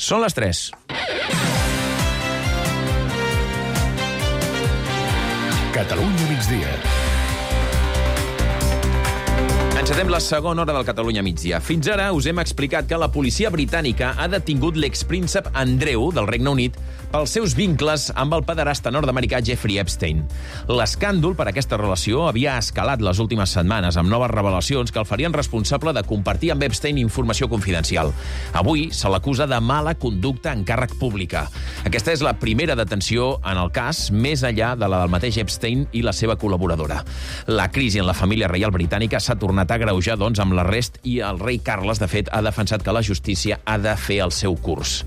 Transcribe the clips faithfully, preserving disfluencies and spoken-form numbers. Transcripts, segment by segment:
Són les tres. Catalunya migdia. Encetem la segona hora del Catalunya migdia. Fins ara us hem explicat que la policia britànica ha detingut l'expríncep Andreu del Regne Unit pels seus vincles amb el pederasta nord-americà Jeffrey Epstein. L'escàndol per aquesta relació havia escalat les últimes setmanes amb noves revelacions que el farien responsable de compartir amb Epstein informació confidencial. Avui se l'acusa de mala conducta en càrrec pública. Aquesta és la primera detenció en el cas, més enllà de la del mateix Epstein i la seva col·laboradora. La crisi en la família reial britànica s'ha tornat a agreujar, doncs, amb l'arrest i el rei Carles, de fet, ha defensat que la justícia ha de fer el seu curs.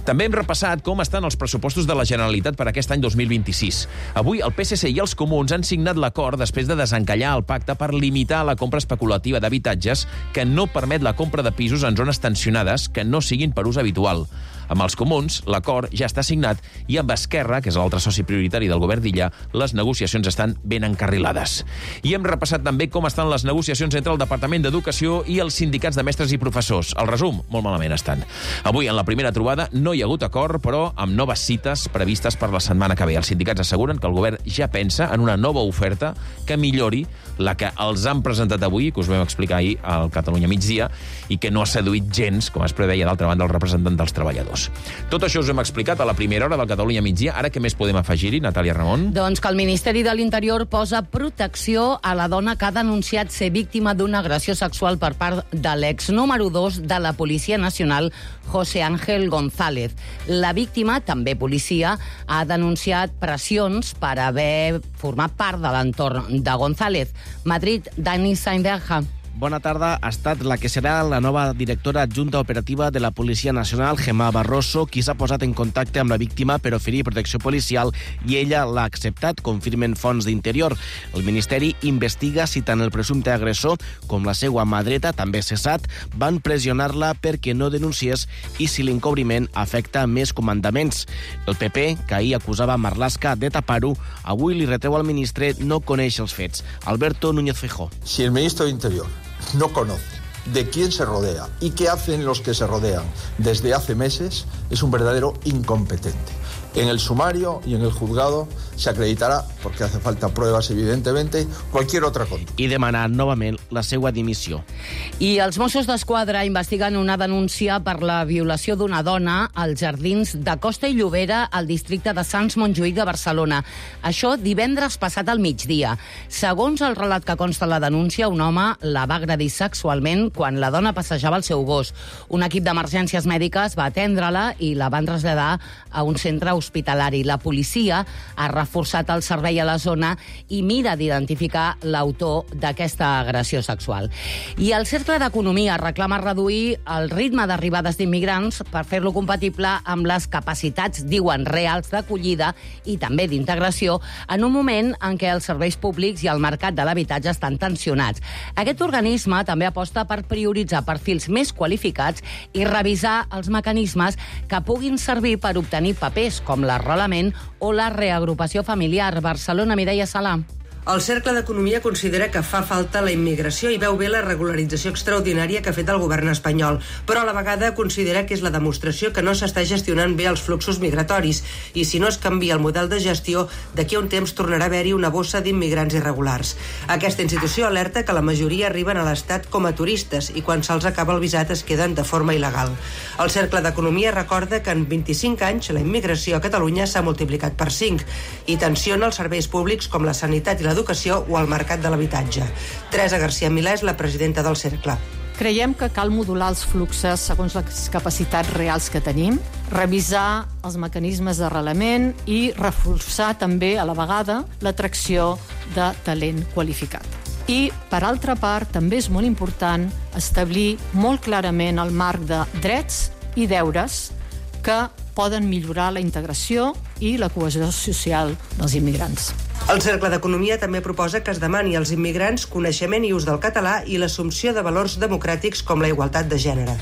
També hem repassat com estan els pressupostos de la Generalitat per aquest any dos mil vint-i-sis. Avui el P S C i els comuns han signat l'acord després de desencallar el pacte per limitar la compra especulativa d'habitatges que no permet la compra de pisos en zones tensionades que no siguin per ús habitual. Amb els comuns, l'acord ja està signat i amb Esquerra, que és l'altre soci prioritari del govern d'Illa, les negociacions estan ben encarrilades. I hem repassat també com estan les negociacions entre el Departament d'Educació i els sindicats de mestres i professors. El resum, molt malament estan. Avui, en la primera trobada, no hi ha hagut acord, però amb noves cites previstes per la setmana que ve. Els sindicats asseguren que el govern ja pensa en una nova oferta que millori la que els han presentat avui, que us vam explicar ahir al Catalunya migdia, i que no ha seduït gens, com es preveia d'altra banda el representant dels treballadors. Tot això us hem explicat a la primera hora del Catalunya migdia. Ara què més podem afegir-hi, Natàlia Ramon? Doncs que el Ministeri de l'Interior posa protecció a la dona que ha denunciat ser víctima d'una agressió sexual per part de l'ex número dos de la Policia Nacional, José Ángel González. La víctima, també policia, ha denunciat pressions per haver format part de l'entorn de González. Madrid, Dani Sainberja. Bona tarda. Ha estat la que serà la nova directora adjunta operativa de la Policia Nacional, Gemma Barroso, qui s'ha posat en contacte amb la víctima per oferir protecció policial i ella l'ha acceptat, confirmen fonts d'Interior. El Ministeri investiga si tant el presumpte agressor com la seva mà dreta, també cessat, van pressionar-la perquè no denunciés i si l'encobriment afecta més comandaments. El P P, que ahir acusava Marlaska de tapar-ho, avui li retreu al ministre no conèixer els fets. Alberto Núñez Feijóo. Si el ministro de Interior no conoce de quién se rodea y qué hacen los que se rodean desde hace meses, es un verdadero incompetente. En el sumario y en el juzgado se acreditará, porque hace falta pruebas, evidentemente, cualquier otra conducta. I demanar novament la seva dimissió. I els Mossos d'Esquadra investiguen una denúncia per la violació d'una dona als jardins de Costa i Llobera al districte de Sants Montjuïc de Barcelona. Això divendres passat al migdia. Segons el relat que consta la denúncia, un home la va agredir sexualment quan la dona passejava el seu gos. Un equip d'emergències mèdiques va atendre-la i la van traslladar a un centre hospitalari. La policia ha reforçat el servei a la zona i mira d'identificar l'autor d'aquesta agressió sexual. I el Cercle d'Economia reclama reduir el ritme d'arribades d'immigrants per fer-lo compatible amb les capacitats, diuen, reals d'acollida i també d'integració en un moment en què els serveis públics i el mercat de l'habitatge estan tensionats. Aquest organisme també aposta per prioritzar perfils més qualificats i revisar els mecanismes que puguin servir per obtenir papers com l'arrelament o la reagrupació familiar. Barcelona, Mireia Sala. El Cercle d'Economia considera que fa falta la immigració i veu bé la regularització extraordinària que ha fet el govern espanyol, però a la vegada considera que és la demostració que no s'està gestionant bé els fluxos migratoris i si no es canvia el model de gestió, d'aquí a un temps tornarà a haver-hi una bossa d'immigrants irregulars. Aquesta institució alerta que la majoria arriben a l'Estat com a turistes i quan se'ls acaba el visat es queden de forma il·legal. El Cercle d'Economia recorda que en vint-i-cinc anys la immigració a Catalunya s'ha multiplicat per cinc i tensiona els serveis públics com la sanitat i la l'educació o al mercat de l'habitatge. Teresa García Milà és la presidenta del Cercle. Creiem que cal modular els fluxes segons les capacitats reals que tenim, revisar els mecanismes d'arrelament i reforçar també, a la vegada, l'atracció de talent qualificat. I, per altra part, també és molt important establir molt clarament el marc de drets i deures que poden millorar la integració i la cohesió social dels immigrants. El Cercle d'Economia també proposa que es demani als immigrants coneixement i ús del català i l'assumpció de valors democràtics com la igualtat de gènere.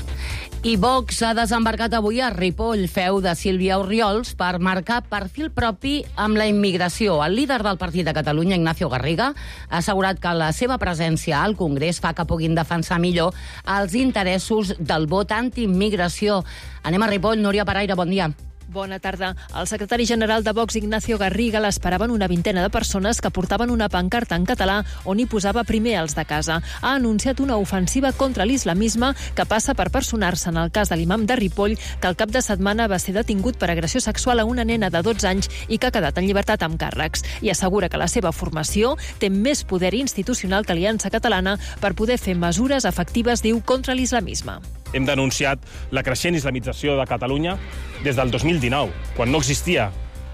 I Vox ha desembarcat avui a Ripoll, feu de Sílvia Orriols, per marcar perfil propi amb la immigració. El líder del Partit de Catalunya, Ignacio Garriga, ha assegurat que la seva presència al Congrés fa que puguin defensar millor els interessos del vot antiimmigració. Anem a Ripoll. Núria Paraire, bon dia. Bona tarda. El secretari general de Vox, Ignacio Garriga, l'esperaven una vintena de persones que portaven una pancarta en català on hi posava primer els de casa. Ha anunciat una ofensiva contra l'islamisme que passa per personar-se en el cas de l'imam de Ripoll, que el cap de setmana va ser detingut per agressió sexual a una nena de dotze anys i que ha quedat en llibertat amb càrrecs. I assegura que la seva formació té més poder institucional que Aliança Catalana per poder fer mesures efectives, diu, contra l'islamisme. Hem denunciat la creixent islamització de Catalunya des del dos mil dinou, quan no existia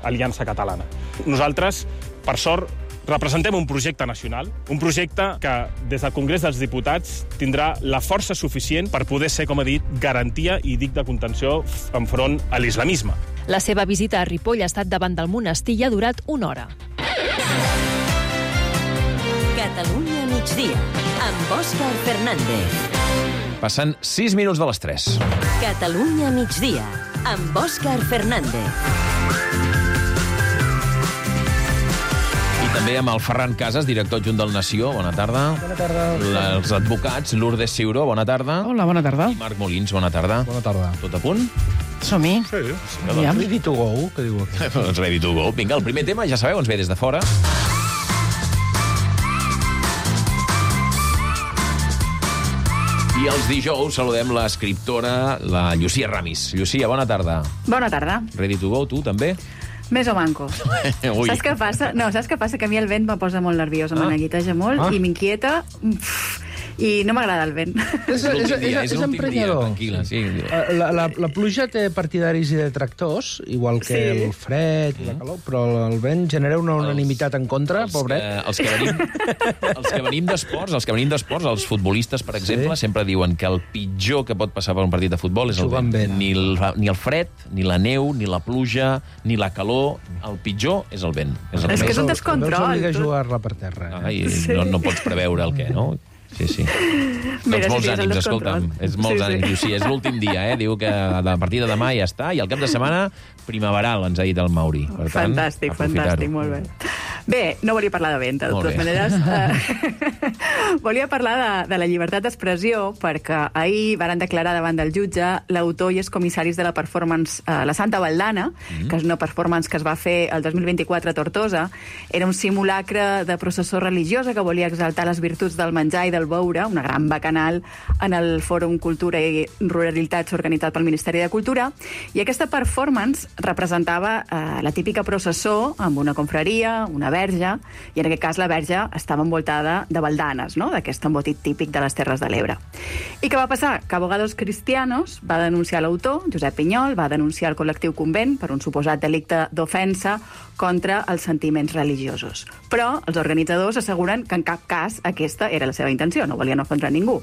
Aliança Catalana. Nosaltres, per sort, representem un projecte nacional, un projecte que des del Congrés dels Diputats tindrà la força suficient per poder ser, com he dit, garantia i dic de contenció enfront a l'islamisme. La seva visita a Ripoll ha estat davant del monestir i ha durat una hora. Catalunya migdia, amb Òscar Fernández. Passen sis minuts de les tres. Catalunya migdia, amb Òscar Fernández. I també amb el Ferran Casas, director adjunt del Nació. Bona tarda. Bona tarda. Els advocats, Lourdes Ciuró, bona tarda. Hola, bona tarda. I Marc Molins, bona tarda. Bona tarda. Tot a punt? Som-hi. Sí. Aviam. Ready to go, que diu aquí. Doncs ready to go. Vinga, el primer tema, ja sabeu, ens ve des de fora. I els dijous saludem l'escriptora, la Llucia Ramis. Llucia, bona tarda. Bona tarda. Ready to go, tu també? Més o manco. Saps què passa? No, saps què passa? Que a mi el vent me posa molt nerviosa, ah. me neguiteja molt ah. i m'inquieta. I no m'agrada el vent. És, és, és, és, és emprenyador. Tranquil·la, sí. La, la, la pluja té partidaris i detractors, igual que sí. el fred i la calor, però el vent genera una unanimitat en contra, els pobret. Que, els, que venim, els que venim d'esports, els que venim d'esports, els futbolistes, per exemple, sí. sempre diuen que el pitjor que pot passar per un partit de futbol és el vent. vent. Ni, el, ni el fred, ni la neu, ni la pluja, ni la calor. El pitjor és el vent. És, el és que és un descontrol. No s'obliga a jugar-la per terra. Ah, i sí. no, no pots preveure el què, no? Sí, sí. Mira, doncs molts sí, ànims, escolta'm. És molts sí, ànims, sí. És l'últim dia, eh? Diu que a partir de demà ja està, i al cap de setmana primaveral, ens ha dit el Mauri. Per tant, fantàstic, fantàstic, molt bé. Bé, no volia parlar de vent, de totes maneres. Uh, volia parlar de, de la llibertat d'expressió, perquè ahir varen declarar davant del jutge l'autor i els comissaris de la performance uh, La Santa Valdana, mm. que és una performance que es va fer el dos mil vint-i-quatre a Tortosa. Era un simulacre de processó religiosa que volia exaltar les virtuts del menjar i del beure, una gran bacanal en el Fòrum Cultura i Ruralitats organitzat pel Ministeri de Cultura, i aquesta performance representava eh, la típica processó amb una confraria, una verge, i en aquest cas la verge estava envoltada de baldanes, no? D'aquest embotit típic de les Terres de l'Ebre. I què va passar? Que Abogados Cristianos va denunciar l'autor, Josep Pinyol, va denunciar el col·lectiu Convent per un suposat delicte d'ofensa contra els sentiments religiosos. Però els organitzadors asseguren que en cap cas aquesta era la seva intenció, no volien ofendre ningú.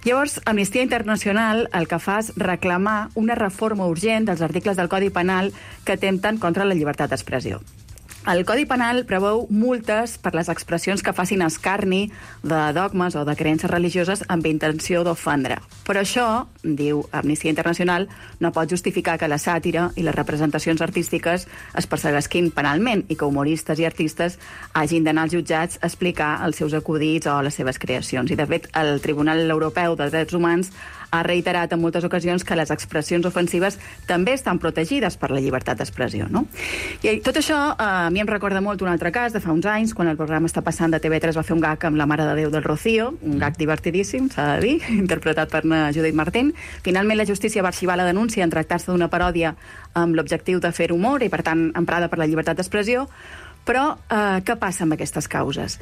Llavors, Amnistia Internacional el que fa és reclamar una reforma urgent dels articles del Codi Penal que atempten contra la llibertat d'expressió. El Codi Penal preveu multes per les expressions que facin escarni de dogmes o de creences religioses amb intenció d'ofendre. Però això, diu Amnistia Internacional, no pot justificar que la sàtira i les representacions artístiques es perseguisquin penalment i que humoristes i artistes hagin d'anar als jutjats a explicar els seus acudits o les seves creacions. I, de fet, el Tribunal Europeu de Drets Humans ha reiterat en moltes ocasions que les expressions ofensives també estan protegides per la llibertat d'expressió, no? I tot això eh, a mi em recorda molt un altre cas de fa uns anys, quan el programa Està passant de T V tres va fer un gag amb la Mare de Déu del Rocío, un gag divertidíssim, s'ha de dir, interpretat per Judit Martín. Finalment la justícia va arxivar la denúncia en tractar-se d'una paròdia amb l'objectiu de fer humor i, per tant, emprada per la llibertat d'expressió. Però eh, què passa amb aquestes causes?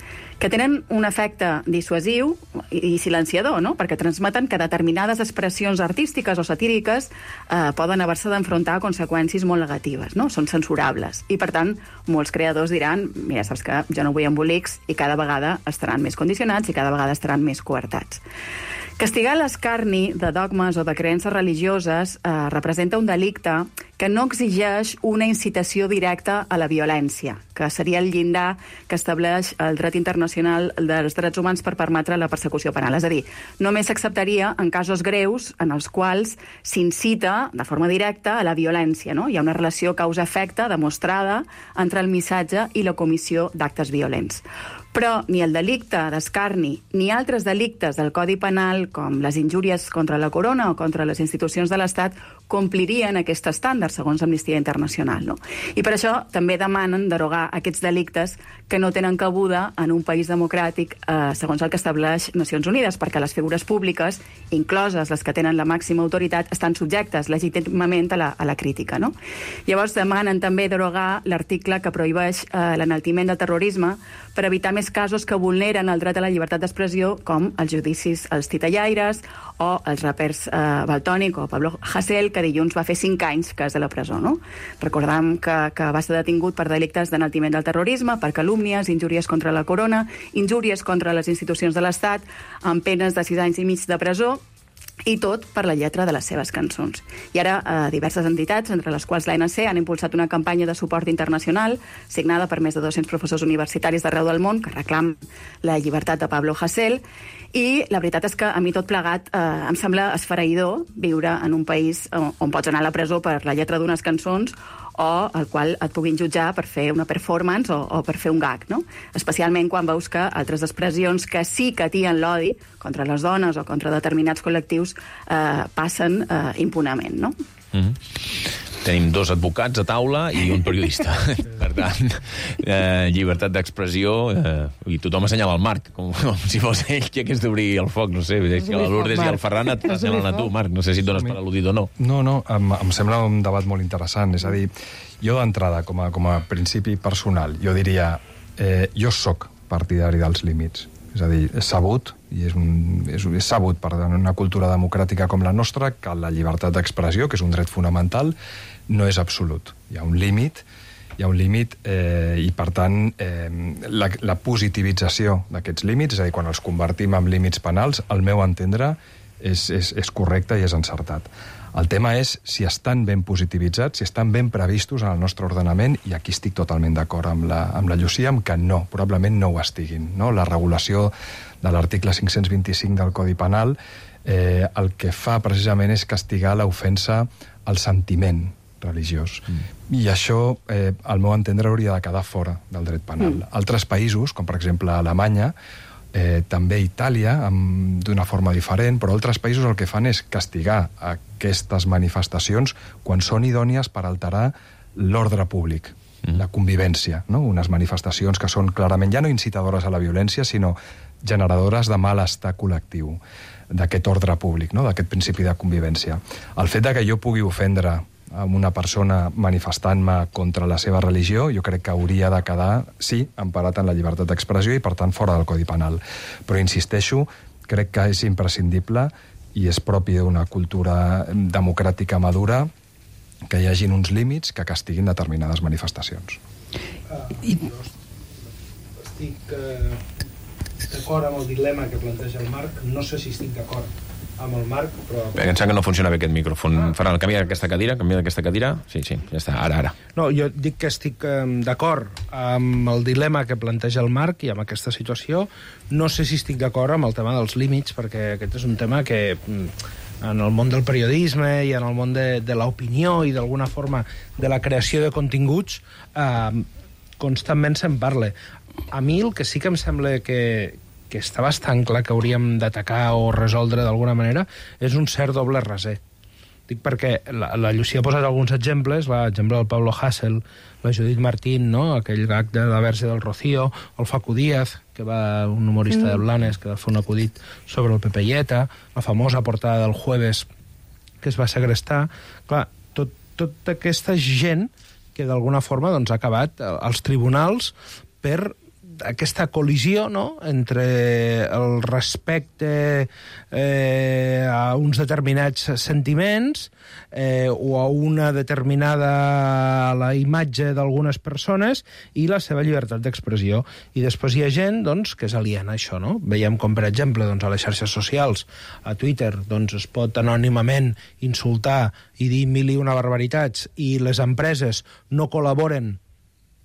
Que tenen un efecte dissuasiu i, i silenciador, no? Perquè transmeten que determinades expressions artístiques o satíriques eh, poden haver-se d'enfrontar a conseqüències molt negatives, no? Són censurables. I, per tant, molts creadors diran, mira, saps que jo no vull embolics, i cada vegada estaran més condicionats i cada vegada estaran més coartats. Castigar l'escarni de dogmes o de creences religioses eh, representa un delicte que no exigeix una incitació directa a la violència, que seria el llindar que estableix el dret internacional dels drets humans per permetre la persecució penal. És a dir, només s'acceptaria en casos greus en els quals s'incita de forma directa a la violència, no? Hi ha una relació causa-efecte demostrada entre el missatge i la comissió d'actes violents. Però ni el delicte d'escarni ni altres delictes del Codi Penal, com les injúries contra la corona o contra les institucions de l'Estat, complirien aquest estàndard, segons Amnistia Internacional, no? I per això també demanen derogar aquests delictes que no tenen cabuda en un país democràtic, eh, segons el que estableix Nacions Unides, perquè les figures públiques, incloses les que tenen la màxima autoritat, estan subjectes legítimament a la, a la crítica, no? Llavors demanen també derogar l'article que prohibeix eh, l'enaltiment del terrorisme per evitar més casos que vulneren el dret a la llibertat d'expressió, com els judicis als titellaires o els rapers eh, Valtònic o Pablo Hasél, que dilluns va fer cinc anys que és de la presó, no? Recordam que, que va ser detingut per delictes d'enaltiment del terrorisme, per calúmnies, injúries contra la corona, injúries contra les institucions de l'Estat, amb penes de sis anys i mig de presó, i tot per la lletra de les seves cançons. I ara eh, diverses entitats, entre les quals l'A N C, han impulsat una campanya de suport internacional signada per més de dos-cents professors universitaris d'arreu del món que reclamen la llibertat de Pablo Hasél. I la veritat és que a mi tot plegat eh, em sembla esfereïdor viure en un país on, on pots anar a la presó per la lletra d'unes cançons o al qual et puguin jutjar per fer una performance o, o per fer un gag, no? Especialment quan veus que altres expressions que sí que atien l'odi contra les dones o contra determinats col·lectius eh, passen eh, impunament, no? Mm-hmm. Tenim dos advocats a taula i un periodista. Per tant, eh, llibertat d'expressió, eh, i tothom assenyala el Marc, com, com si fos ell qui hagués d'obrir el foc, no sé, si la Lourdes i el Ferran et assenyalen a tu, Marc, no sé si et dones per al·ludit o no. No, no, em, em sembla un debat molt interessant, és a dir, jo d'entrada, com a, com a principi personal, jo diria, eh, jo sóc partidari dels límits. És a dir, és sabut, i és, un, és, és sabut per una cultura democràtica com la nostra, que la llibertat d'expressió, que és un dret fonamental, no és absolut. Hi ha un límit, hi ha un límit eh, i, per tant, eh, la, la positivització d'aquests límits, és a dir, quan els convertim en límits penals, al meu entendre, és, és, és correcte i és encertat. El tema és si estan ben positivitzats, si estan ben previstos en el nostre ordenament, i aquí estic totalment d'acord amb la, amb la Llucia, amb que no, probablement no ho estiguin. No? La regulació de l'article cinc-cents vint-i-cinc del Codi Penal eh, el que fa precisament és castigar l'ofensa al sentiment religiós. Mm. I això, eh, al meu entendre, hauria de quedar fora del dret penal. Mm. Altres països, com per exemple Alemanya, Eh, també Itàlia, d'una forma diferent, però altres països el que fan és castigar aquestes manifestacions quan són idònies per alterar l'ordre públic, mm. la convivència, no? Unes manifestacions que són clarament ja no incitadores a la violència, sinó generadores de malestar col·lectiu, d'aquest ordre públic, no? D'aquest principi de convivència. El fet de que jo pugui ofendre amb una persona manifestant-me contra la seva religió, jo crec que hauria de quedar, sí, emparat en la llibertat d'expressió i, per tant, fora del Codi Penal. Però, insisteixo, crec que és imprescindible i és propi d'una cultura democràtica madura que hi hagin uns límits que castiguin determinades manifestacions. Uh, I... Estic uh, d'acord amb el dilema que planteja el Marc. No sé si estic d'acord amb el Marc, però... Bé, em sembla que no funciona bé aquest micròfon. Ah. Ferran, canvia aquesta cadira, canvia d'aquesta cadira. Sí, sí, ja està, ara, ara. No, jo dic que estic eh, d'acord amb el dilema que planteja el Marc i amb aquesta situació. No sé si estic d'acord amb el tema dels límits, perquè aquest és un tema que en el món del periodisme i en el món de, de l'opinió i d'alguna forma de la creació de continguts eh, constantment se'n parla. A mi el que sí que em sembla que que està bastant clar que hauríem d'atacar o resoldre d'alguna manera, és un cert doble raser. Dic perquè la, la Llucia ha posat alguns exemples, l'exemple del Pablo Hasél, la Judit Martín, no? Aquell gag de la verge del Rocío, el Facu Díaz, que va, un humorista mm. de Blanes, que va fer un acudit sobre el Pepe Lleta, la famosa portada del Jueves, que es va segrestar. Clar, tot, tota aquesta gent que d'alguna forma doncs, ha acabat als tribunals per aquesta col·lisió, no?, entre el respecte eh, a uns determinats sentiments eh, o a una determinada la imatge d'algunes persones i la seva llibertat d'expressió. I després hi ha gent, doncs, que és aliena a això, no? Veiem com, per exemple, doncs, a les xarxes socials, a Twitter, doncs, es pot anònimament insultar i dir mil i una barbaritats, i les empreses no col·laboren.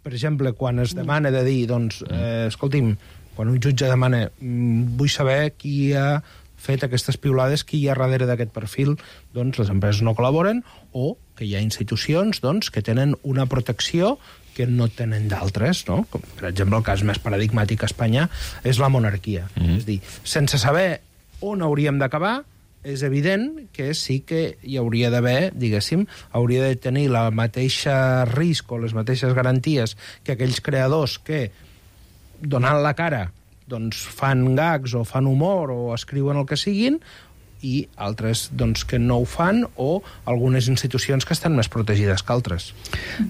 Per exemple, quan es demana de dir, doncs, eh, escolti'm, quan un jutge demana vull saber qui ha fet aquestes piulades, qui hi ha darrere d'aquest perfil, doncs les empreses no col·laboren, o que hi ha institucions, doncs, que tenen una protecció que no tenen d'altres, no? Com, per exemple, el cas més paradigmàtic a Espanya és la monarquia. Mm-hmm. És a dir, sense saber on hauríem d'acabar, és evident que sí que hi hauria d'haver, diguéssim, hauria de tenir la mateixa risc o les mateixes garanties que aquells creadors que, donant la cara, doncs fan gags o fan humor o escriuen el que siguin, i altres doncs, que no ho fan, o algunes institucions que estan més protegides que altres.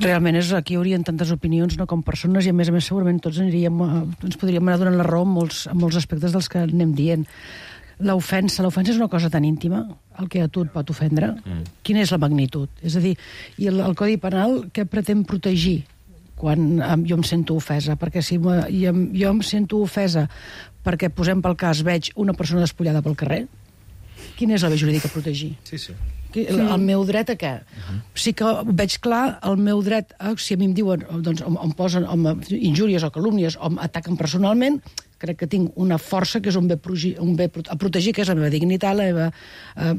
Realment és, aquí hi haurien tantes opinions, no, com persones, i a més a més segurament tots aniríem, ens podríem anar donant la raó en molts, en molts aspectes dels que anem dient. L'ofensa, l'ofensa és una cosa tan íntima, el que a tu et pot ofendre. Mm. Quina és la magnitud? És a dir, i el, el Codi Penal què pretén protegir quan um, jo em sento ofesa? Perquè si me, jo, jo em sento ofesa perquè, posem pel cas, veig una persona despullada pel carrer, quina és la via jurídica a protegir? Sí, sí. El, el meu dret a què? Uh-huh. Sí que veig clar el meu dret a, si a mi em diuen, doncs, em, em posen em, injúries o calúmnies o em ataquen personalment, crec que tinc una força que és un bé, progi, un bé a protegir, que és la meva dignitat, la meva eh,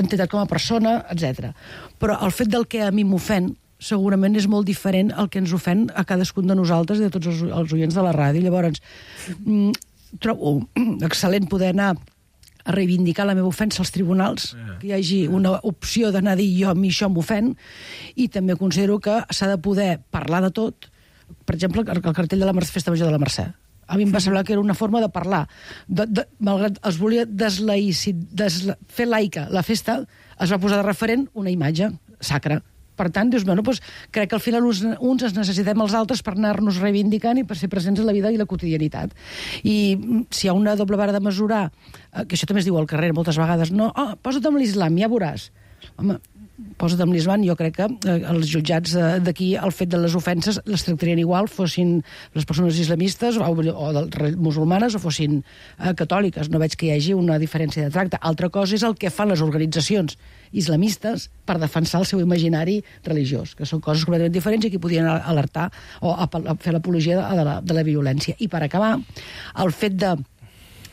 entitat com a persona, etcètera. Però el fet del que a mi m'ofèn segurament és molt diferent al que ens ofèn a cadascun de nosaltres i de tots els, els oients de la ràdio. Llavors, mm, trobo excel·lent poder anar a reivindicar la meva ofensa als tribunals, que hi hagi una opció d'anar a dir jo a mi això m'ofèn, i també considero que s'ha de poder parlar de tot. Per exemple, el cartell de la Festa Major de la Mercè. A mi em va semblar que era una forma de parlar. De, de, malgrat es volia deslaïci, desla, fer laica la festa, es va posar de referent una imatge sacra. Per tant, dius, bueno, doncs, crec que al final uns, uns ens necessitem els altres per anar-nos reivindicant i per ser presents en la vida i la quotidianitat. I si hi ha una doble vara de mesurar, que això també es diu al carrer moltes vegades, no, oh, posa't amb l'islam, ja veuràs. Home, posa't amb l'islam, jo crec que eh, els jutjats d'aquí, el fet de les ofenses les tractarien igual, fossin les persones islamistes o, o de, musulmanes o fossin eh, catòliques. No veig que hi hagi una diferència de tracte. Altra cosa és el que fan les organitzacions islamistes per defensar el seu imaginari religiós, que són coses completament diferents i que podien alertar o fer l'apologia de, de, la, de la violència. I per acabar, el fet de,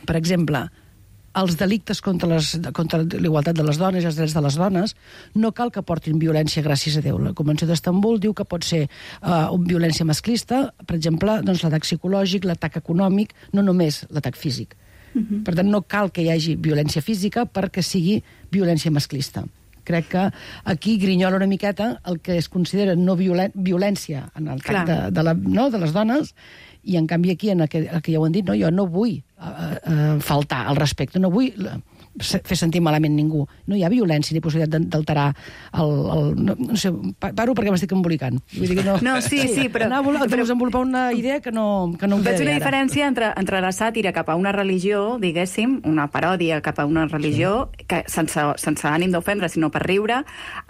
per exemple, els delictes contra, les, contra l'igualtat de les dones i els drets de les dones no cal que portin violència, gràcies a Déu. La Convenció d'Estambul diu que pot ser uh, una violència masclista, per exemple, doncs, l'atac psicològic, l'atac econòmic, no només l'atac físic. Uh-huh. Per tant, no cal que hi hagi violència física perquè sigui violència masclista. Crec que aquí grinyola una miqueta el que es considera no violen, violència en el cas de, de, la, no, de les dones, i en canvi aquí, en el que, el que ja ho han dit, no, jo no vull uh, uh, faltar al respecte, no vull fer sentir malament ningú. No hi ha violència ni possibilitat d'alterar el... el no, no sé, paro perquè m'estic embolicant. Vull dir que no... No, sí, sí, però... Anar a desenvolupar una idea que no, que no em veig ve una ara. diferència entre, entre la sàtira cap a una religió, diguéssim, una paròdia cap a una religió, sí, que sense, sense ànim d'ofendre, sinó per riure,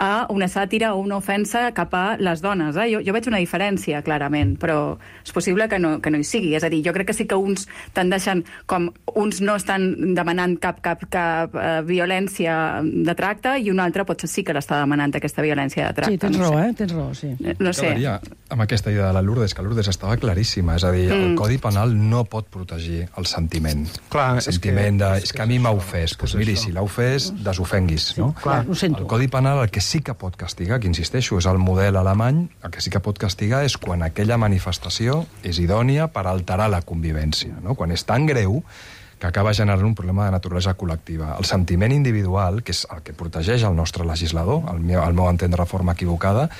a una sàtira o una ofensa cap a les dones. Eh? Jo, jo veig una diferència, clarament, però és possible que no, que no hi sigui. És a dir, jo crec que sí que uns tendeixen, com uns no estan demanant cap, cap, cap Uh, violència de tracte i un altre potser sí que l'està demanant aquesta violència de tracte. Sí, tens no raó, sé. eh? Tens raó, sí. No sé. Quedaria amb aquesta idea de la Lourdes, que Lourdes estava claríssima, és a dir, mm. el Codi Penal no pot protegir el sentiment. Clar, el sentiment és que, de, és és que a mi m'ha ofès, doncs miri, si l'ha ofès, desofenguis, no? Sí, clar, ho sento. El Codi Penal el que sí que pot castigar, que insisteixo, és el model alemany, el que sí que pot castigar és quan aquella manifestació és idònia per alterar la convivència, no? Quan és tan greu que acaba generant un problema de naturalesa col·lectiva. El sentiment individual, que és el que protegeix el nostre legislador, al meu, al meu entendre de forma equivocada,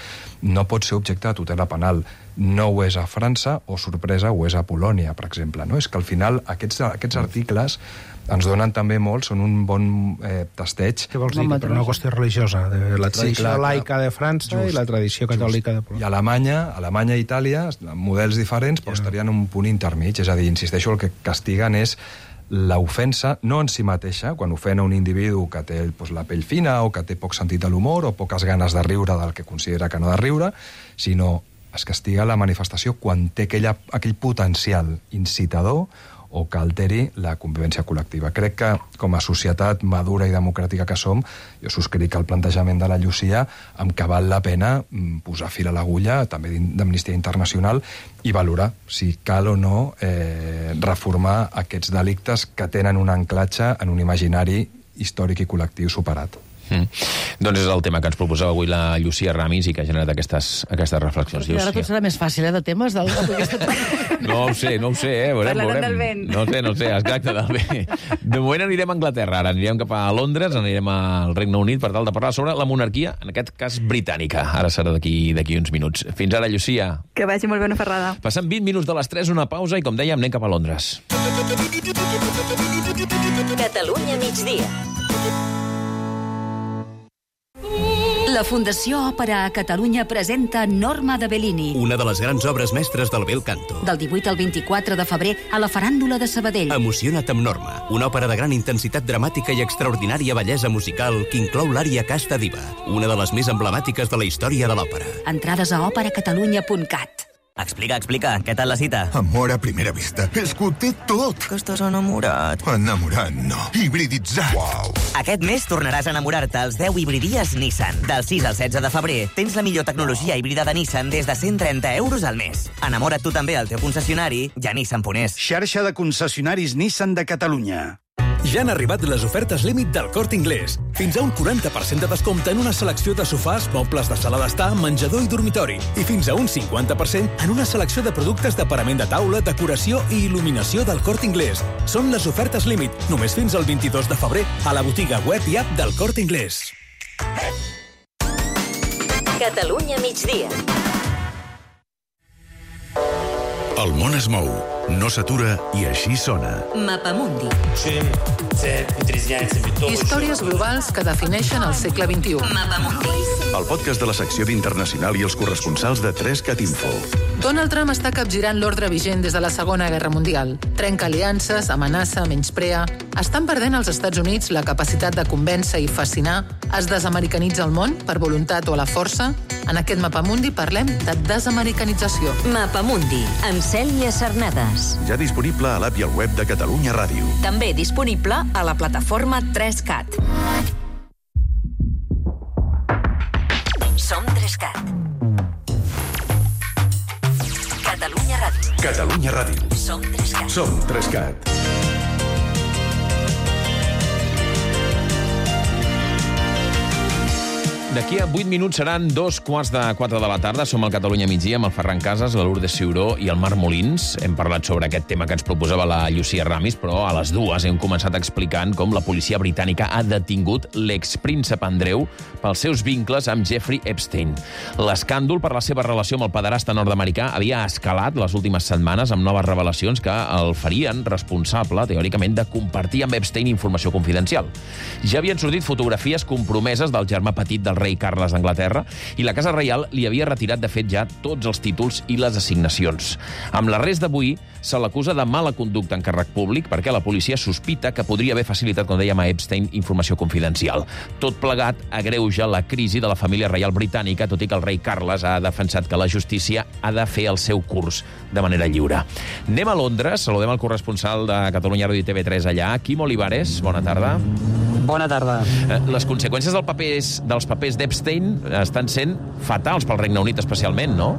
no pot ser objecte de tutela penal. No ho és a França, o, sorpresa, ho és a Polònia, per exemple. No? És que al final aquests, aquests articles ens donen també molt, són un bon eh, testeig. Què vols dir? Per una qüestió religiosa, de la tradició sí, clar, laica de França just, i la tradició catòlica just. de Polònia. I Alemanya, Alemanya i Itàlia, models diferents, però ja. estarien en un punt intermig. És a dir, insisteixo, el que castiguen és l'ofensa, no en si mateixa, quan ofena un individu que té pues, la pell fina o que té poc sentit de l'humor o poques ganes de riure del que considera que no ha de riure, sinó es castiga la manifestació quan té aquella, aquell potencial incitador o que alteri la convivència col·lectiva. Crec que, com a societat madura i democràtica que som, jo subscric el plantejament de la Llucia amb que val la pena posar fil a l'agulla, també d'Amnistia Internacional, i valorar si cal o no eh, reformar aquests delictes que tenen un anclatge en un imaginari històric i col·lectiu superat. Mm. Doncs és el tema que ens proposava avui la Llucia Ramis i que ha generat aquestes, aquestes reflexions. Però ara tot serà més fàcil, eh, de temes del... No ho sé, no ho sé, eh? Veurem, Parlarem veurem. del vent. No sé, no sé, exacte, del vent. De moment anirem a Anglaterra, ara anirem cap a Londres, anirem al Regne Unit per tal de parlar sobre la monarquia, en aquest cas britànica. Ara serà d'aquí d'aquí uns minuts. Fins ara, Llucia. Que vagi molt bé una ferrada. Passant vint minuts de les tres, una pausa i, com dèiem, anem cap a Londres. Catalunya migdia. La Fundació Òpera a Catalunya presenta Norma de Bellini. Una de les grans obres mestres del bel canto. Del divuit al vint-i-quatre de febrer a la Faràndula de Sabadell. Emociona't amb Norma, una òpera de gran intensitat dramàtica i extraordinària bellesa musical que inclou l'ària Casta Diva, una de les més emblemàtiques de la història de l'òpera. Entrades a òpera catalunya punt cat. Explica, explica. Què tal la cita? Amor a primera vista. És que ho té tot. Que estàs enamorat. Enamorat, no. Hibriditzat. Uau. Aquest mes tornaràs a enamorar-te als deu hibridies Nissan. Del sis al setze de febrer tens la millor tecnologia híbrida de Nissan des de cent trenta euros al mes. Enamora't tu també al teu concessionari i a Nissan punt es. Xarxa de concessionaris Nissan de Catalunya. Ja han arribat les ofertes límit del Corte Inglés. Fins a un quaranta per cent de descompte en una selecció de sofàs, mobles de sala d'estar, menjador i dormitori. I fins a un cinquanta per cent en una selecció de productes de parament de taula, decoració i il·luminació del Corte Inglés. Són les ofertes límit, només fins al vint-i-dos de febrer, a la botiga web i app del Corte Inglés. Catalunya migdia. El món es mou, no s'atura i així sona. Mapamundi. Històries globals que defineixen el segle vint-i-u. Mapamundi. El podcast de la secció d'Internacional i els corresponsals de tres cat info. Donald Trump està capgirant l'ordre vigent des de la Segona Guerra Mundial. Trenca aliances, amenaça, menysprea. Estan perdent als Estats Units la capacitat de convèncer i fascinar? Es desamericanitza el món per voluntat o a la força? En aquest Mapamundi parlem de desamericanització. Mapamundi, amb Cèlia Cernades. Ja disponible a l'app i al web de Catalunya Ràdio. També disponible a la plataforma tres cat. Som tres cat. Catalunya Ràdio. Catalunya Ràdio. Som tres cat. Som tres cat. D'aquí a vuit minuts seran dos quarts de quatre de la tarda. Som al Catalunya migdia amb el Ferran Casas, la Lourdes Ciuró i el Marc Molins. Hem parlat sobre aquest tema que ens proposava la Llucia Ramis, però a les dues hem començat explicant com la policia britànica ha detingut l'expríncep Andreu pels seus vincles amb Jeffrey Epstein. L'escàndol per la seva relació amb el pederasta nord-americà havia escalat les últimes setmanes amb noves revelacions que el farien responsable, teòricament, de compartir amb Epstein informació confidencial. Ja havien sortit fotografies compromeses del germà petit del rei Carles d'Anglaterra i la Casa Reial li havia retirat, de fet, ja tots els títols i les assignacions. Amb l'arrest d'avui se l'acusa de mala conducta en càrrec públic perquè la policia sospita que podria haver facilitat, com dèiem, a Epstein informació confidencial. Tot plegat agreuja la crisi de la família reial britànica, tot i que el rei Carles ha defensat que la justícia ha de fer el seu curs de manera lliure. Anem a Londres, saludem el corresponsal de Catalunya Ràdio i T V tres allà, Quim Olivares. Bona tarda. Bona tarda. Les conseqüències del papers, dels papers d'Epstein estan sent fatals pel Regne Unit especialment, no?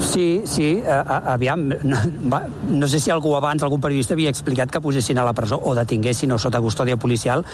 Sí, sí, aviam, no, no sé si algú abans, algun periodista havia explicat que posessin a la presó o detinguessin o sota custòdia policial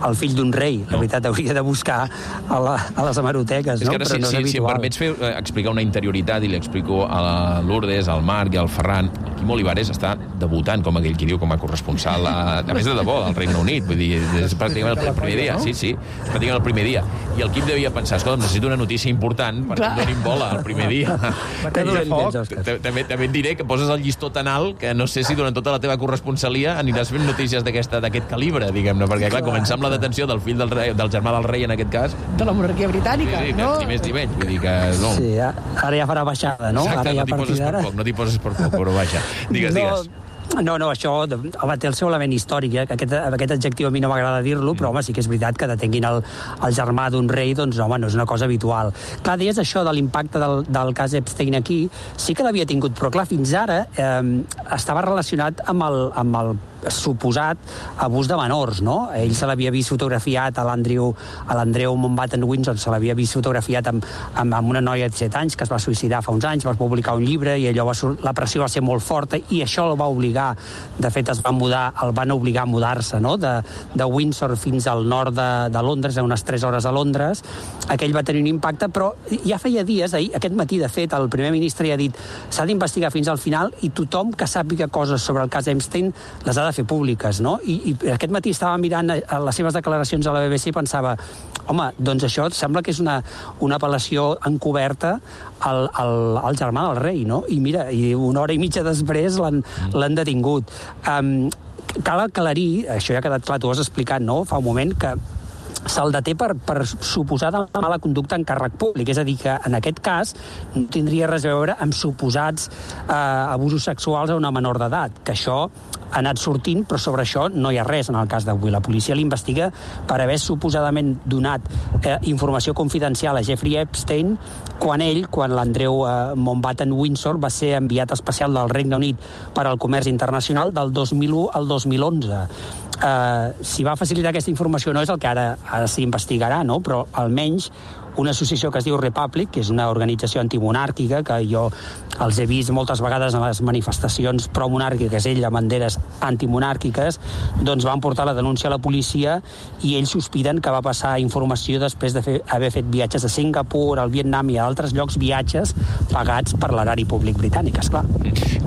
el fill d'un rei. La veritat, hauria de buscar a, la, a les hemeroteques, no? És que ara, Però si, no és si, si em habitual. permets fer, eh, explicar una interioritat, i li explico a la Lourdes, al Marc i al Ferran, el Quim Olivares està debutant, com aquell qui diu, com a corresponsal, a, a més de debò, al Regne Unit. Vull dir, és pràcticament el primer dia. Sí, sí, és pràcticament el primer dia. I el Quim devia pensar, escolta, necessito una notícia important perquè em donin bola el primer dia. També, també et diré que poses el llistó tan alt que no sé si durant tota la teva corresponsalia aniràs fent notícies d'aquest calibre, diguem-ne, perquè, clar, començar amb la detenció del fill del, rei, del germà del rei, en aquest cas... De la monarquia britànica, sí, sí, no? Ni més ni menys, vull dir que... No. Sí, ara ja farà baixada, no? Exacte, ara ja no t'hi poses per poc, no t'hi poses per poc, però vaja. Digues, no, digues. No, no, això home, té el seu element històric, eh? aquest, aquest adjectiu a mi no m'agrada dir-lo, però home, sí que és veritat que detenguin el, el germà d'un rei, doncs home, no és una cosa habitual. Clar, deies això de l'impacte del, del cas Epstein aquí, sí que l'havia tingut, però clar, fins ara eh, estava relacionat amb el, amb el suposat abús de menors, no? Ell se l'havia vist fotografiat a l'Andrew a l'Andreu Mountbatten Windsor, se l'havia vist fotografiat amb, amb, amb una noia de set anys que es va suïcidar fa uns anys, va publicar un llibre i allò va, la pressió va ser molt forta i això el va obligar, de fet es va mudar, el van obligar a mudar-se, no? De, de Windsor fins al nord de, de Londres, a unes tres hores a Londres. Aquell va tenir un impacte, però ja feia dies, ahir, aquest matí, de fet, el primer ministre ja ha dit s'ha d'investigar fins al final i tothom que sàpiga coses sobre el cas Epstein les ha de fer públiques, no? I, i aquest matí estava mirant les seves declaracions a la B B C i pensava, home, doncs això sembla que és una, una apel·lació encoberta al, al, al germà del rei, no? I mira, i una hora i mitja després l'han l'han detingut. Um, cal aclarir, això ja ha quedat clar, tu has explicat, no?, fa un moment, que se'l deté per, per suposada mala conducta en càrrec públic. És a dir, que en aquest cas no tindria res a veure amb suposats eh, abusos sexuals a una menor d'edat, que això ha anat sortint, però sobre això no hi ha res en el cas d'avui. La policia l'investiga per haver suposadament donat eh, informació confidencial a Jeffrey Epstein quan ell, quan l'Andreu eh, Mountbatten Windsor va ser enviat especial del Regne Unit per al comerç internacional del dos mil u al dos mil onze. Uh, si va facilitar aquesta informació no és el que ara, ara s'investigarà, no? Però almenys una associació que es diu Republic, que és una organització antimonàrquica, que jo els he vist moltes vegades en les manifestacions promonàrquiques, ell amb banderes antimonàrquiques, doncs van portar la denúncia a la policia i ells sospiten que va passar informació després de fer, haver fet viatges a Singapur, al Vietnam i a altres llocs, viatges pagats per l'erari públic britànic, esclar.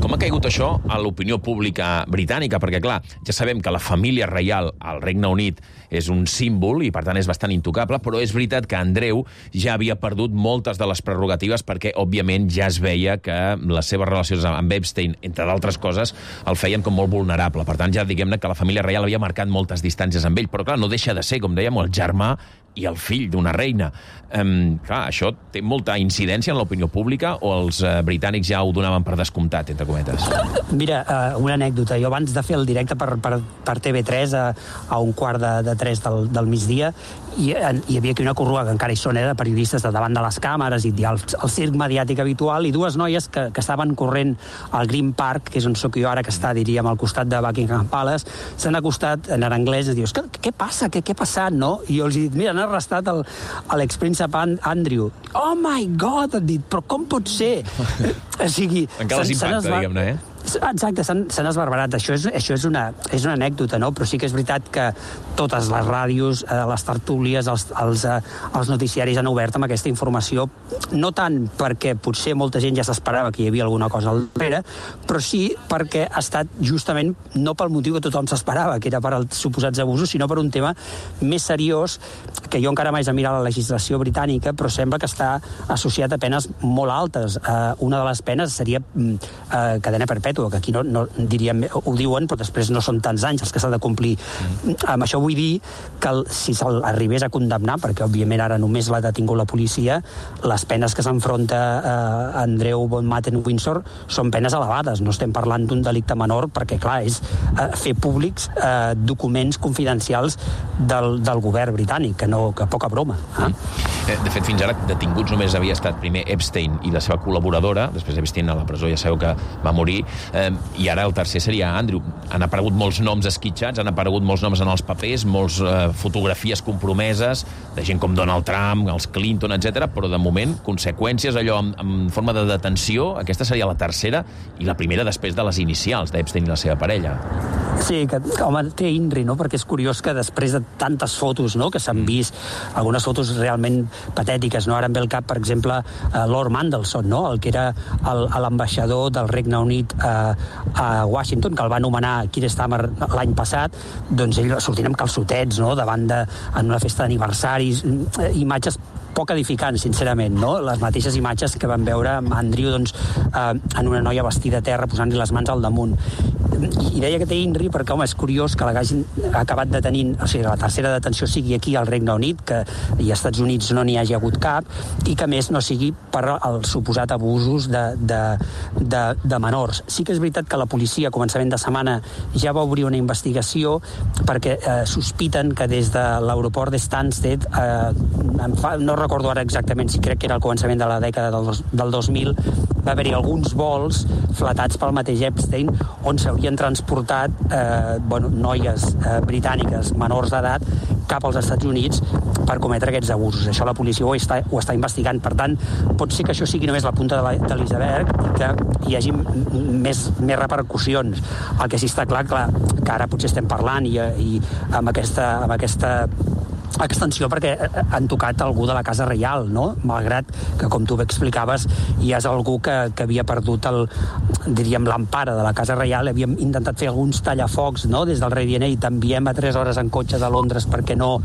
Com ha caigut això a l'opinió pública britànica? Perquè, clar, ja sabem que la família reial al Regne Unit és un símbol i, per tant, és bastant intocable, però és veritat que Andreu ja havia perdut moltes de les prerrogatives perquè, òbviament, ja es veia que les seves relacions amb Epstein, entre d'altres coses, el feien com molt vulnerable. Per tant, ja diguem-ne que la família reial havia marcat moltes distàncies amb ell, però, clar, no deixa de ser, com dèiem, el germà i el fill d'una reina. Um, clar, això té molta incidència en l'opinió pública o els uh, britànics ja ho donaven per descomptat, entre cometes? Mira, uh, una anècdota. Jo abans de fer el directe per, per, per T V tres a, a un quart de, de tres del, del migdia, hi, hi havia aquí una corrua, que encara hi són, eh, de periodistes de davant de les càmeres i el, el circ mediàtic habitual, i dues noies que, que estaven corrent al Green Park, que és on sóc jo ara, que està, diríem, al costat de Buckingham Palace, s'han acostat en anglès i dius, què, què passa? Què, què ha passat, no? I jo els he dit, mira, han arrestat l'expríncep Andrew. Oh my God, han dit, però com pot ser? O sigui... Encara les impacta, diguem-ne, eh? Exacte, s'han esbarbarat. Això, és, això és, una, és una anècdota, no? Però sí que és veritat que totes les ràdios, eh, les tertúlies, els, els, eh, els noticiaris han obert amb aquesta informació, no tant perquè potser molta gent ja s'esperava que hi havia alguna cosa al darrere, però sí perquè ha estat justament no pel motiu que tothom s'esperava, que era per als suposats abusos, sinó per un tema més seriós, que jo encara m'haig de mirar la legislació britànica, però sembla que està associat a penes molt altes. Eh, una de les penes seria eh, cadena perpètua, que aquí no, no diríem, ho diuen, però després no són tants anys els que s'ha de complir. Mm. Amb això vull dir que el, si se'l arribés a condemnar, perquè òbviament ara només l'ha detingut la policia, les penes que s'enfronta eh, Andreu Mountbatten Windsor són penes elevades. No estem parlant d'un delicte menor, perquè, clar, és eh, fer públics eh, documents confidencials del, del govern britànic, que, no, que poca broma. Eh? Mm. De fet, fins ara detinguts només havia estat primer Epstein i la seva col·laboradora, després després d'Epstein a la presó, ja sabeu que va morir, eh, i ara el tercer seria Andrew. Han aparegut molts noms esquitxats, han aparegut molts noms en els papers, molts eh, fotografies compromeses, de gent com Donald Trump, els Clinton, etcètera, però de moment, conseqüències, allò en, en forma de detenció, aquesta seria la tercera, i la primera després de les inicials d'Epstein i la seva parella. Sí, que, home, té INRI, no?, perquè és curiós que després de tantes fotos, no?, que s'han vist, algunes fotos realment patètiques, no?, ara em ve al cap, per exemple, uh, Lord Mandelson, no?, el que era l'ambaixador del Regne Unit uh, a Washington, que el va anomenar Keir Starmer l'any passat, doncs ell sortint amb calçotets, no?, davant de, en una festa d'aniversaris, imatges poc edificants, sincerament, no? Les mateixes imatges que vam veure amb Andrew, doncs, eh, en una noia vestida a terra posant-li les mans al damunt. I, i deia que té INRI perquè, home, és curiós que l'hagin acabat detenint, o sigui, la tercera detenció sigui aquí al Regne Unit, que i als Estats Units no n'hi hagi hagut cap, i que, més, no sigui per els suposat abusos de, de, de, de menors. Sí que és veritat que la policia, a començament de setmana, ja va obrir una investigació perquè eh, sospiten que des de l'aeroport de Stansted, eh, fa, no recordo ara exactament si crec que era al començament de la dècada del, dos, del dos mil, va haver-hi alguns vols flatats pel mateix Epstein on s'haurien transportat eh, bueno, noies eh, britàniques menors d'edat cap als Estats Units per cometre aquests abusos. Això la policia ho està, ho està investigant. Per tant, pot ser que això sigui només la punta de l'iceberg i que hi hagi més, més repercussions. El que sí està clar, clar que ara potser estem parlant i, i amb aquesta... Amb aquesta extensió perquè han tocat algú de la Casa Reial, no? Malgrat que, com tu bé explicaves, hi és algú que, que havia perdut el, diríem, l'empara de la Casa Reial. Havíem intentat fer alguns tallafocs, no?, des del rei D N I, t'enviem a tres hores en cotxe de Londres perquè no,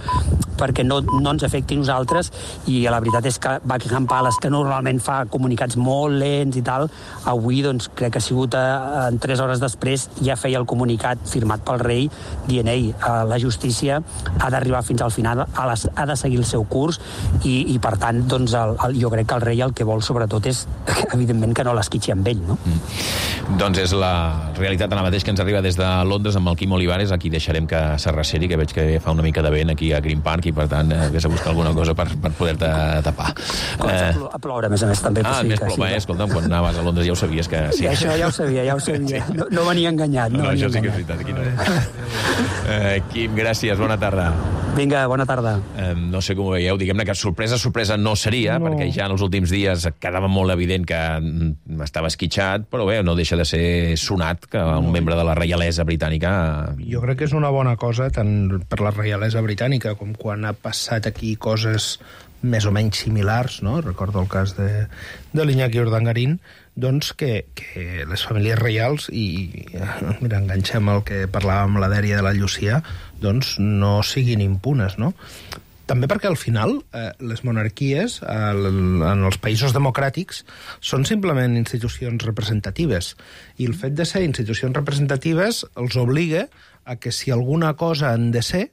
perquè no, no ens afecti nosaltres, i la veritat és que Buckingham Palace, que normalment fa comunicats molt lents i tal, avui doncs crec que ha sigut a, en tres hores després ja feia el comunicat firmat pel rei D N I. La justícia ha d'arribar fins al final, ha, les, ha de seguir el seu curs i, i per tant, doncs, el, el, jo crec que el rei el que vol sobretot és, evidentment, que no l'esquitxi amb ell, no? Mm. Doncs és la realitat ara mateix que ens arriba des de Londres amb el Quim Olivares. Aquí deixarem que s'arreceri, que veig que fa una mica de vent aquí a Green Park i per tant eh, vés a buscar alguna cosa per, per poder-te tapar. Comença eh... a ploure, a més a més, també. Ah, sí, més plou, sí, eh? Escolta'm, quan anaves a Londres ja ho sabies que... Sí. I això ja ho sabia, ja ho sabia. No, no venia enganyat. No, no, no això sí que és veritat, aquí no. eh, Quim, gràcies, bona tarda. Vinga, bona tarda. Eh, no sé com ho veieu, diguem-ne que sorpresa, sorpresa no seria, no. Perquè ja en els últims dies quedava molt evident que estava esquitxat, però bé, no deixa de ser sonat que un no. membre de la reialesa britànica... Jo crec que és una bona cosa, tant per la reialesa britànica com quan ha passat aquí coses més o menys similars, no? Recordo el cas de, de l'Iñaki Urdangarín, doncs que, que les famílies reials, i mira, enganxem el que parlàvem la dèria de la Llucia, doncs no siguin impunes, no? També perquè al final eh, les monarquies eh, en els països democràtics són simplement institucions representatives, i el fet de ser institucions representatives els obliga a que si alguna cosa han de ser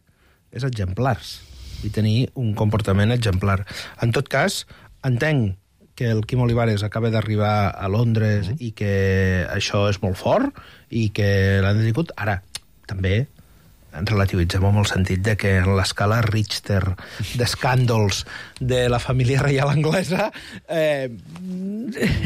és exemplars i tenir un comportament exemplar. En tot cas, entenc que el Quim Olivares acaba d'arribar a Londres i que això és molt fort i que l'han detingut. Ara, també relativitzem amb el sentit de que en l'escala Richter d'escàndols de la família reial anglesa eh,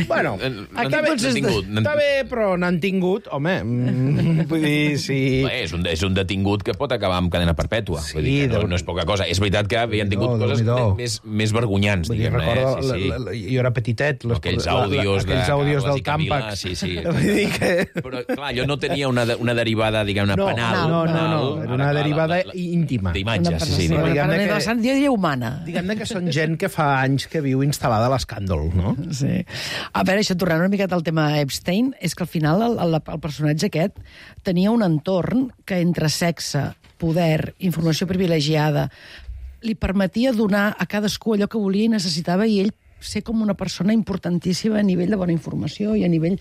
bueno, està bé, tingut, està bé, però n'han tingut, home, mm, vull dir, sí... Bé, és, un, és un detingut que pot acabar amb cadena perpètua, sí, vull dir que no, no és poca cosa. És veritat que havien tingut no, coses més, més vergonyants, diguem-ne. Recordo, eh? sí, sí. La, la, jo era petitet, les, aquells àudios, la, la, aquells àudios del Tàmpac. Sí, sí. Vull dir que... Però, clar, jo no tenia una, una derivada, diguem-ne, no, penal. No, no, no, no. Era una derivada la, la, íntima. D'imatges, sí, sí. No, diguem-ne que, la sant dia humana. Diguem-ne que són gent que fa anys que viu instal·lada a l'escàndol, no? Sí. A veure, això, tornant una miqueta al tema Epstein, és que al final el, el, el personatge aquest tenia un entorn que entre sexe, poder, informació privilegiada, li permetia donar a cadascú allò que volia i necessitava, i ell ser com una persona importantíssima a nivell de bona informació i a nivell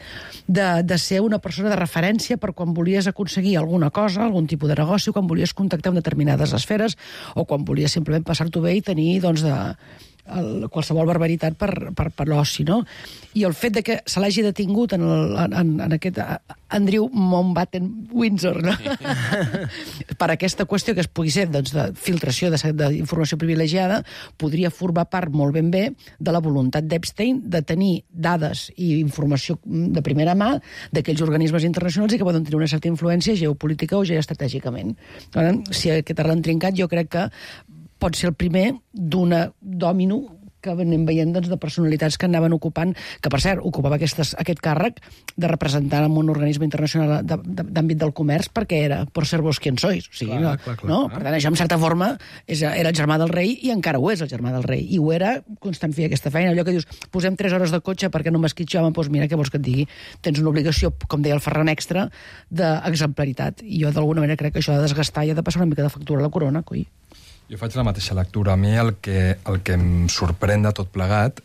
de, de ser una persona de referència per quan volies aconseguir alguna cosa, algun tipus de negoci, quan volies contactar amb determinades esferes o quan volies simplement passar-t'ho bé i tenir, doncs, de, el, qualsevol barbaritat per, per, per l'oci, no? I el fet de que se l'hagi detingut en, el, en, en aquest Andrew Mountbatten-Windsor, no? per aquesta qüestió que es pugui ser doncs, de filtració d'informació privilegiada, podria formar part molt ben bé de la voluntat d'Epstein de tenir dades i informació de primera mà d'aquells organismes internacionals i que poden tenir una certa influència geopolítica o geoestratègicament. Si aquest arran trincat jo crec que pot ser el primer d'una dòmino que anem veient doncs, de personalitats que anaven ocupant, que per cert, ocupava aquestes, aquest càrrec de representar en un organisme internacional d'àmbit del comerç perquè era por ser vos quien sois. O sigui, clar, no, clar, clar, no? Clar. Per tant, això, en certa forma, és, era el germà del rei i encara ho és el germà del rei. I ho era constant fer aquesta feina. Allò que dius, posem tres hores de cotxe perquè no m'esquitxi, home, doncs mira, què vols que et digui? Tens una obligació, com deia el Ferran Extra, d'exemplaritat. I jo, d'alguna manera, crec que això ha de desgastar i ha de passar una mica de factura a la corona, coi. Jo faig la mateixa lectura. A mi el que, el que em sorprèn de tot plegat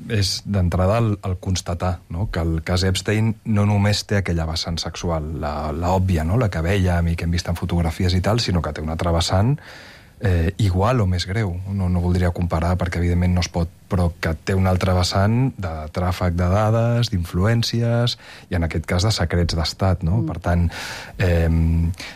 és, d'entrada, el, el constatar, no? Que el cas Epstein no només té aquella vessant sexual, la, la òbvia, no? La que vèiem i que hem vist en fotografies i tal, sinó que té una altra vessant eh, igual o més greu. No, no voldria comparar perquè, evidentment, no es pot, però que té una altra vessant de tràfic de dades, d'influències i, en aquest cas, de secrets d'estat, no? Mm. Per tant, eh,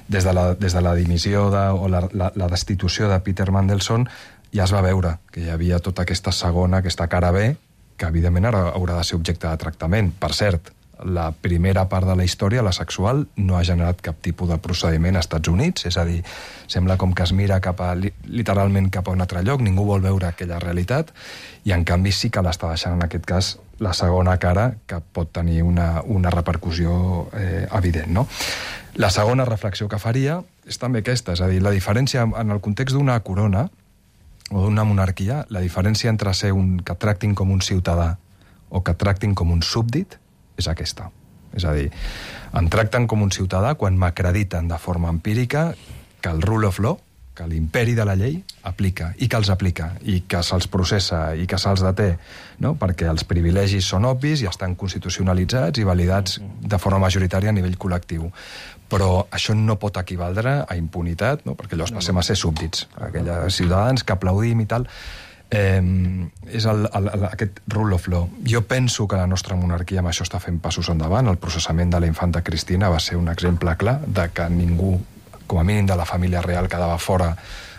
des, de la, des de la dimissió de, o la, la, la destitució de Peter Mandelson ja es va veure que hi havia tota aquesta segona, aquesta cara B, que, evidentment, ara haurà de ser objecte de tractament. Per cert, la primera part de la història, la sexual, no ha generat cap tipus de procediment als Estats Units, és a dir, sembla com que es mira cap a, literalment cap a un altre lloc, ningú vol veure aquella realitat, i en canvi sí que l'està deixant en aquest cas la segona cara, que pot tenir una, una repercussió eh, evident, no? La segona reflexió que faria és també aquesta, és a dir, la diferència en el context d'una corona o d'una monarquia, la diferència entre ser un que tractin com un ciutadà o que tractin com un súbdit és aquesta. És a dir, em tracten com un ciutadà quan m'acrediten de forma empírica que el rule of law, que l'imperi de la llei aplica, i que els aplica, i que se'ls processa, i que se'ls deté, no? Perquè els privilegis són obvis i estan constitucionalitzats i validats de forma majoritària a nivell col·lectiu. Però això no pot equivaldre a impunitat, no? Perquè llavors passem a ser súbdits, aquells ciutadans que aplaudim i tal. Eh, és el, el, el, aquest rule of law. Jo penso que la nostra monarquia amb això està fent passos endavant. El processament de la infanta Cristina va ser un exemple clar de que ningú, com a mínim de la família real, quedava fora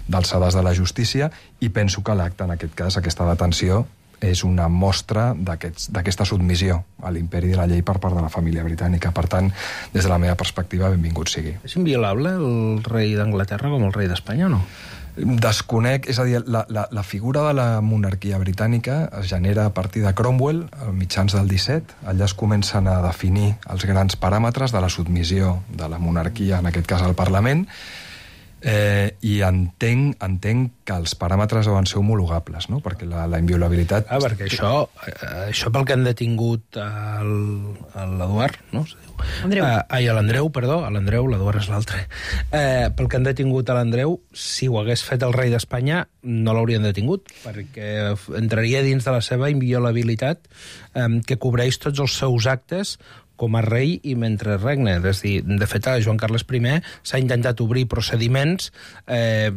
dels sedars de la justícia, i penso que l'acte, en aquest cas, aquesta detenció, és una mostra d'aquesta submissió a l'imperi de la llei per part de la família britànica. Per tant, des de la meva perspectiva, benvingut sigui. És inviolable el rei d'Anglaterra com el rei d'Espanya o no? Desconec, és a dir, la, la, la figura de la monarquia britànica es genera a partir de Cromwell, a mitjans del disset. Allà es comencen a definir els grans paràmetres de la submissió de la monarquia, en aquest cas al Parlament, eh, i entenc, entenc que els paràmetres deuen ser homologables, no? Perquè la, la inviolabilitat... Ah, perquè això, això pel que han detingut l'Eduard, no? Andreu. Uh, ai, a l'Andreu, perdó, a l'Andreu, l'Eduard és l'altre. Uh, pel que han detingut a l'Andreu, si ho hagués fet el rei d'Espanya, no l'haurien detingut, perquè entraria dins de la seva inviolabilitat um, que cobreix tots els seus actes com a rei i mentre regne. És a dir, de fet, a Joan Carles I s'ha intentat obrir procediments eh,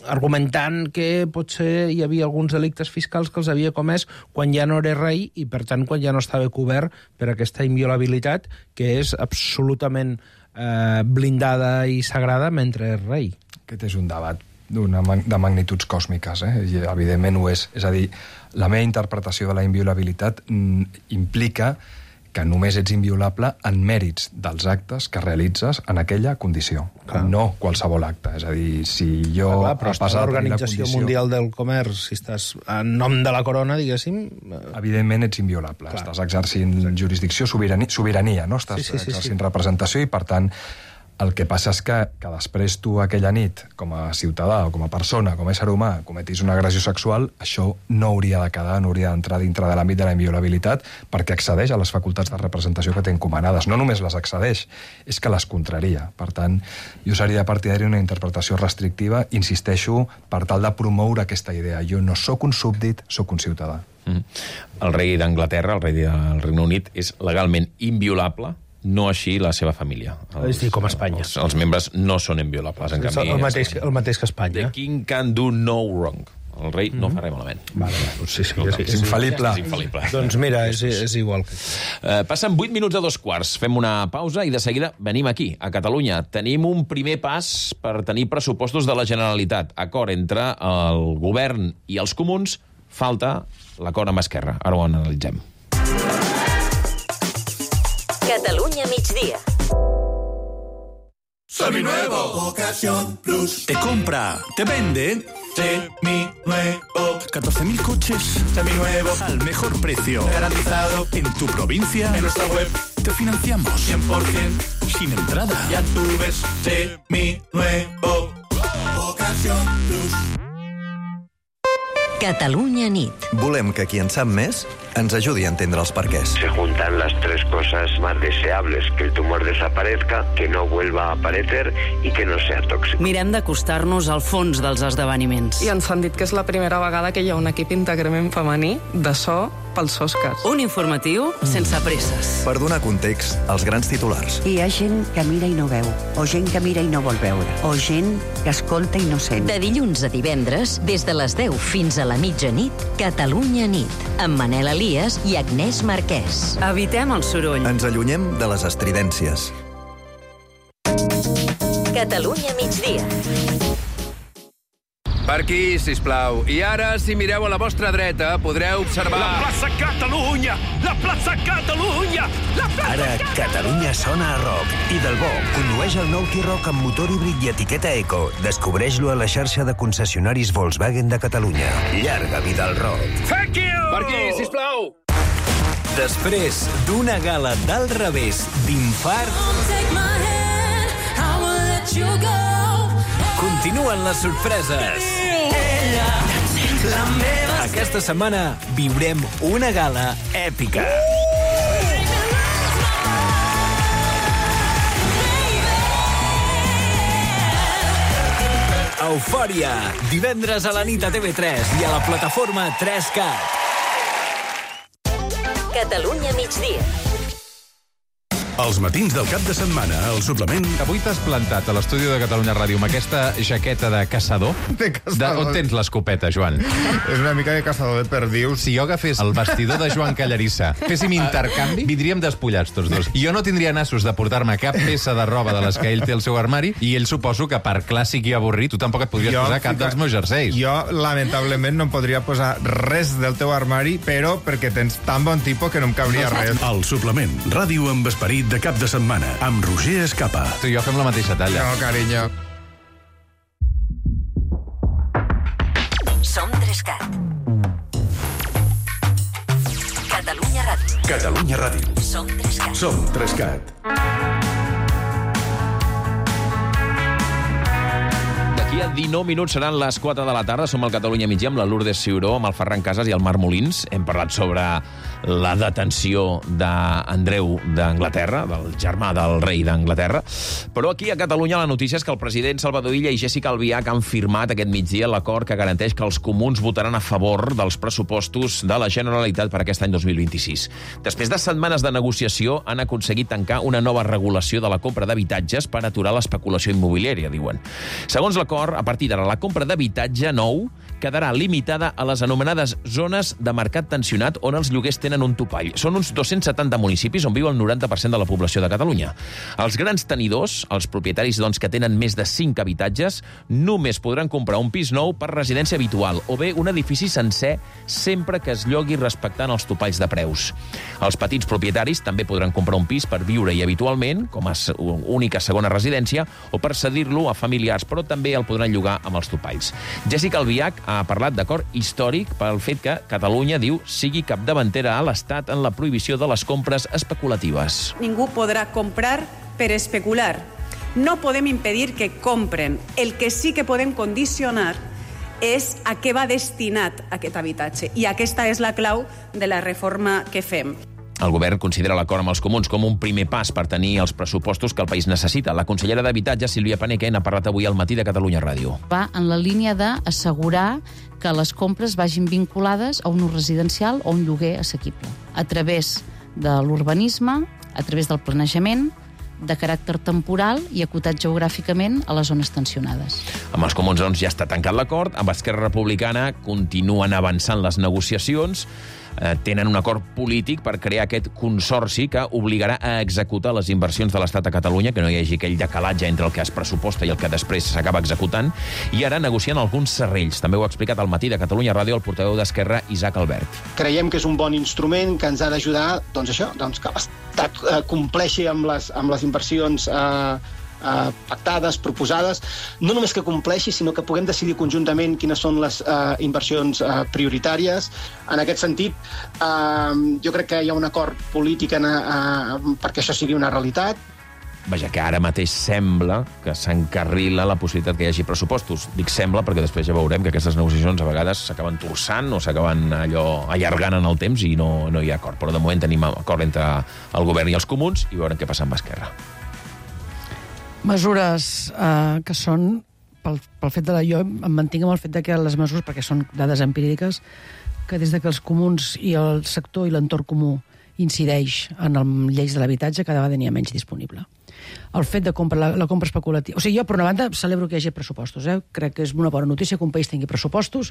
argumentant que potser hi havia alguns delictes fiscals que els havia comès quan ja no era rei i, per tant, quan ja no estava cobert per aquesta inviolabilitat que és absolutament eh, blindada i sagrada mentre és rei. Aquest és un debat d'una de magnituds còsmiques, eh? I evidentment ho és. És a dir, la meva interpretació de la inviolabilitat implica que només ets inviolable en mèrits dels actes que realitzes en aquella condició, clar. No qualsevol acte. És a dir, si jo... Clar, clar, però a l'Organització condició... Mundial del Comerç, si estàs en nom de la corona, diguéssim... Evidentment ets inviolable. Clar. Estàs exercint Exacte. jurisdicció, sobirania, sobirania, no? Estàs sí, sí, sí, exercint sí. representació i, per tant, el que passa és que, que després tu aquella nit, com a ciutadà o com a persona, com a ésser humà, cometis una agressió sexual, això no hauria de quedar, no hauria d'entrar dintre de l'àmbit de la inviolabilitat perquè accedeix a les facultats de representació que té encomanades. No només les accedeix, és que les contraria. Per tant, jo seria partidari d'una interpretació restrictiva, insisteixo, per tal de promoure aquesta idea. Jo no sóc un súbdit, sóc un ciutadà. Mm. El rei d'Anglaterra, el rei del Regne Unit, és legalment inviolable, no així la seva família. Els, és dir, com a Espanya. Els, els membres no són inviolables, en canvi. El mateix, el mateix que Espanya. The king can do no wrong. el rei no fa res malament. Vale, vale. Sí, sí, No, sí, és sí. infal·lible. És infal·lible. Doncs mira, és, és igual. Que... Uh, passen vuit minuts a dos quarts. Fem una pausa i de seguida venim aquí, a Catalunya. Tenim un primer pas per tenir pressupostos de la Generalitat. Acord entre el govern i els comuns. Falta l'acord amb Esquerra. Ara ho analitzem. Catalunya migdia. Seminuevo. Ocasión Plus. Te compra, te vende. Seminuevo. catorce mil coches. Seminuevos. Al mejor precio. Garantizado. En tu provincia. En nuestra web. Te financiamos. cien por ciento. Sin entrada. Ya tú ves. Seminuevo. Ocasión Plus. Catalunya nit. Volem que qui en sap més ens ajudi a entendre els perquès. Se juntan las tres cosas más deseables, que el tumor desaparezca, que no vuelva a aparecer y que no sea tóxico. Mirem d'acostar-nos al fons dels esdeveniments. I ens han dit que és la primera vegada que hi ha un equip íntegrament femení de so pels Oscars. Un informatiu sense presses. Per donar context als grans titulars. Hi ha gent que mira i no veu, o gent que mira i no vol veure, o gent que escolta i no sent. De dilluns a divendres, des de les deu fins a la mitjanit, Catalunya nit, amb Manel Elias i Agnès Marquès. Evitem el soroll. Ens allunyem de les estridències. Catalunya migdia. Per aquí, sisplau. I ara, si mireu a la vostra dreta, podreu observar... La plaça Catalunya! La plaça Catalunya! La plaça Ara, Catalunya sona a rock. I del bo, condueix el nou T-Roc amb motor híbrid i etiqueta Eco. Descobreix-lo a la xarxa de concessionaris Volkswagen de Catalunya. Llarga vida al rock. Thank you! Per aquí, sisplau! Després d'una gala d'alt revés d'infart, continuen les sorpreses. Aquesta setmana viurem una gala èpica. Eufòria, divendres a la nit a T V tres i a la plataforma tres cat. Catalunya migdia. Els matins del cap de setmana, el suplement... Avui t'has plantat a l'estudi de Catalunya Ràdio amb aquesta jaqueta de caçador. De caçador. De, on tens l'escopeta, Joan? És una mica de caçador de perdius. Si jo agafés el vestidor de Joan Callarissa, féssim intercanvi, vindríem despullats tots dos. I jo no tindria nassos de portar-me cap peça de roba de les que ell té al seu armari, i ell suposo que per clàssic i avorrit tu tampoc et podries jo, posar cap fica... dels meus jerseis. Jo, lamentablement, no em podria posar res del teu armari, però perquè tens tan bon tipus que no em cabria no, res. El suplement, ràdio amb esperit de cap de setmana, amb Roger Escapa. Tu i jo fem la mateixa talla. No, carinyo. Som tres cat. Catalunya Ràdio. Catalunya Ràdio. Som tres cat. Som tres cat. D'aquí a dinou minuts seran les quatre de la tarda. Som al Catalunya migdia amb la Lourdes Ciuró, amb el Ferran Casas i el Marc Molins. Hem parlat sobre la detenció d'Andreu d'Anglaterra, del germà del rei d'Anglaterra. Però aquí a Catalunya la notícia és que el president Salvador Illa i Jéssica Albiach han firmat aquest migdia l'acord que garanteix que els comuns votaran a favor dels pressupostos de la Generalitat per aquest any dos mil vint-i-sis. Després de setmanes de negociació han aconseguit tancar una nova regulació de la compra d'habitatges per aturar l'especulació immobiliària, diuen. Segons l'acord, a partir d'ara la compra d'habitatge nou quedarà limitada a les anomenades zones de mercat tensionat on els lloguers tenen un topall. Són uns dos-cents setanta municipis on viu el noranta per cent de la població de Catalunya. Els grans tenidors, els propietaris doncs, que tenen més de cinc habitatges, només podran comprar un pis nou per residència habitual o bé un edifici sencer sempre que es llogui respectant els topalls de preus. Els petits propietaris també podran comprar un pis per viure-hi habitualment, com a única segona residència, o per cedir-lo a familiars, però també el podran llogar amb els topalls. Jéssica Albiach ha parlat d'acord històric pel fet que Catalunya, diu, sigui capdavantera a l'Estat en la prohibició de les compres especulatives. Ningú podrà comprar per especular. No podem impedir que compren. El que sí que podem condicionar és a què va destinat aquest habitatge. I aquesta és la clau de la reforma que fem. El govern considera l'acord amb els comuns com un primer pas per tenir els pressupostos que el país necessita. La consellera d'Habitatge, Sílvia Paneque, n'ha parlat avui al matí de Catalunya Ràdio. Va en la línia d'assegurar que les compres vagin vinculades a un ús residencial o un lloguer assequible. A través de l'urbanisme, a través del planejament, de caràcter temporal i acotat geogràficament a les zones tensionades. Amb els comuns, doncs, ja està tancat l'acord. Amb Esquerra Republicana continuen avançant les negociacions. Eh, tenen un acord polític per crear aquest consorci que obligarà a executar les inversions de l'Estat a Catalunya, que no hi hagi aquell decalatge entre el que es pressuposta i el que després s'acaba executant, i ara negocien alguns serrells. També ho ha explicat al Matí de Catalunya Ràdio el portaveu d'Esquerra, Isaac Albert. Creiem que és un bon instrument que ens ha d'ajudar, doncs això, doncs que l'Estat eh, compleixi amb les, amb les inversions eh, Uh, pactades, proposades, no només que compleixi, sinó que puguem decidir conjuntament quines són les uh, inversions uh, prioritàries. En aquest sentit, uh, jo crec que hi ha un acord polític en, uh, perquè això sigui una realitat. Vaja, que ara mateix sembla que s'encarrila la possibilitat que hi hagi pressupostos. Dic sembla perquè després ja veurem que aquestes negociacions a vegades s'acaben torçant o s'acaben allò allargant en el temps i no, no hi ha acord. Però de moment tenim acord entre el govern i els comuns i veurem què passa amb Esquerra. Mesures eh, que són, pel, pel fet de la... Jo em mantinc amb el fet de que les mesures, perquè són dades empíriques, que des de que els comuns i el sector i l'entorn comú incideix en el lleis de l'habitatge, cada vegada n'hi ha menys disponible. El fet de compra, la, la compra especulativa... O sigui, jo, per una banda, celebro que hi hagi pressupostos. Eh? Crec que és una bona notícia que un país tingui pressupostos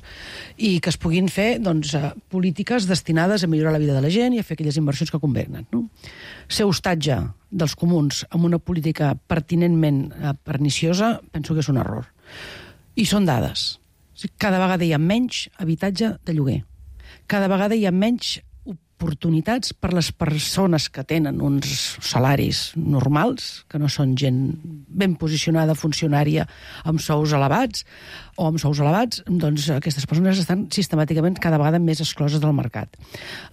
i que es puguin fer doncs, eh, polítiques destinades a millorar la vida de la gent i a fer aquelles inversions que convenen. No? Ser hostatge dels comuns amb una política pertinentment eh, perniciosa, penso que és un error. I són dades. O sigui, cada vegada hi ha menys habitatge de lloguer. Cada vegada hi ha menys oportunitats per les persones que tenen uns salaris normals, que no són gent ben posicionada, funcionària, amb sous elevats, o amb sous elevats, doncs aquestes persones estan sistemàticament cada vegada més excloses del mercat.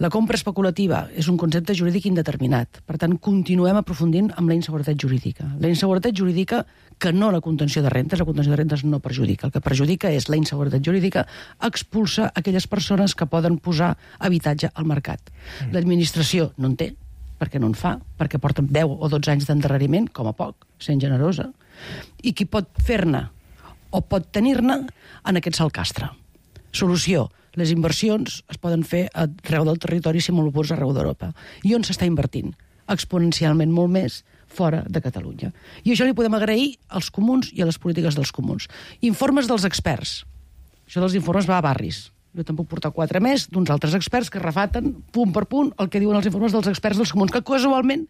La compra especulativa és un concepte jurídic indeterminat. Per tant, continuem aprofundint amb la inseguretat jurídica. La inseguretat jurídica, que no la contenció de rentes, la contenció de rentes no perjudica. El que perjudica és la inseguretat jurídica, expulsa aquelles persones que poden posar habitatge al mercat. Mm. L'administració no en té, perquè no en fa, perquè porten deu o dotze anys d'endarreriment, com a poc, sent generosa, i qui pot fer-ne o pot tenir-ne en aquest salcastre. Solució. Les inversions es poden fer arreu del territori si molt pots arreu d'Europa. I on s'està invertint? Exponencialment molt més fora de Catalunya. I això li podem agrair als comuns i a les polítiques dels comuns. Informes dels experts. Això dels informes va a barris. Jo te'n puc portar quatre més d'uns altres experts que refaten, punt per punt, el que diuen els informes dels experts dels comuns, que casualment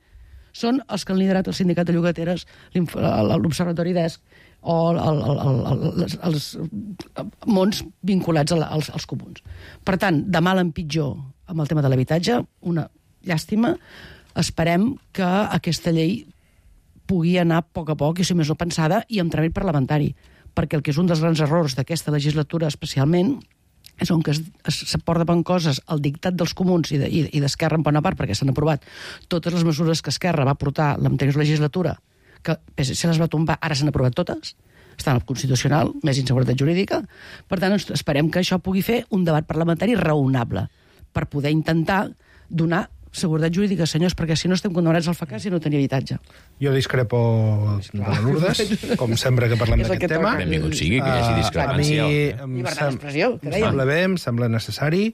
són els que han liderat el sindicat de llogateres, l'Observatori d'Esc, o el, el, el, el, els mons vinculats als, als comuns. Per tant, de mal en pitjor amb el tema de l'habitatge, una llàstima. Esperem que aquesta llei pugui anar a poc a poc, i si més no pensada, i amb tràmit parlamentari, perquè el que és un dels grans errors d'aquesta legislatura especialment és on que s'aporten coses al dictat dels comuns i d'Esquerra en bona part, perquè s'han aprovat totes les mesures que Esquerra va portar l'anterior legislatura, que se les va tombar, ara s'han aprovat totes, estan al Constitucional, més inseguretat jurídica. Per tant, esperem que això pugui fer un debat parlamentari raonable per poder intentar donar seguretat jurídica, senyors, perquè si no estem condemnats al fracàs i no tenir habitatge. Jo discrepo de la Lourdes, com sempre que parlem d'aquest tema. Benvingut sigui, que hi hagi discrepància. A mi em sembla bé, em sembla necessari,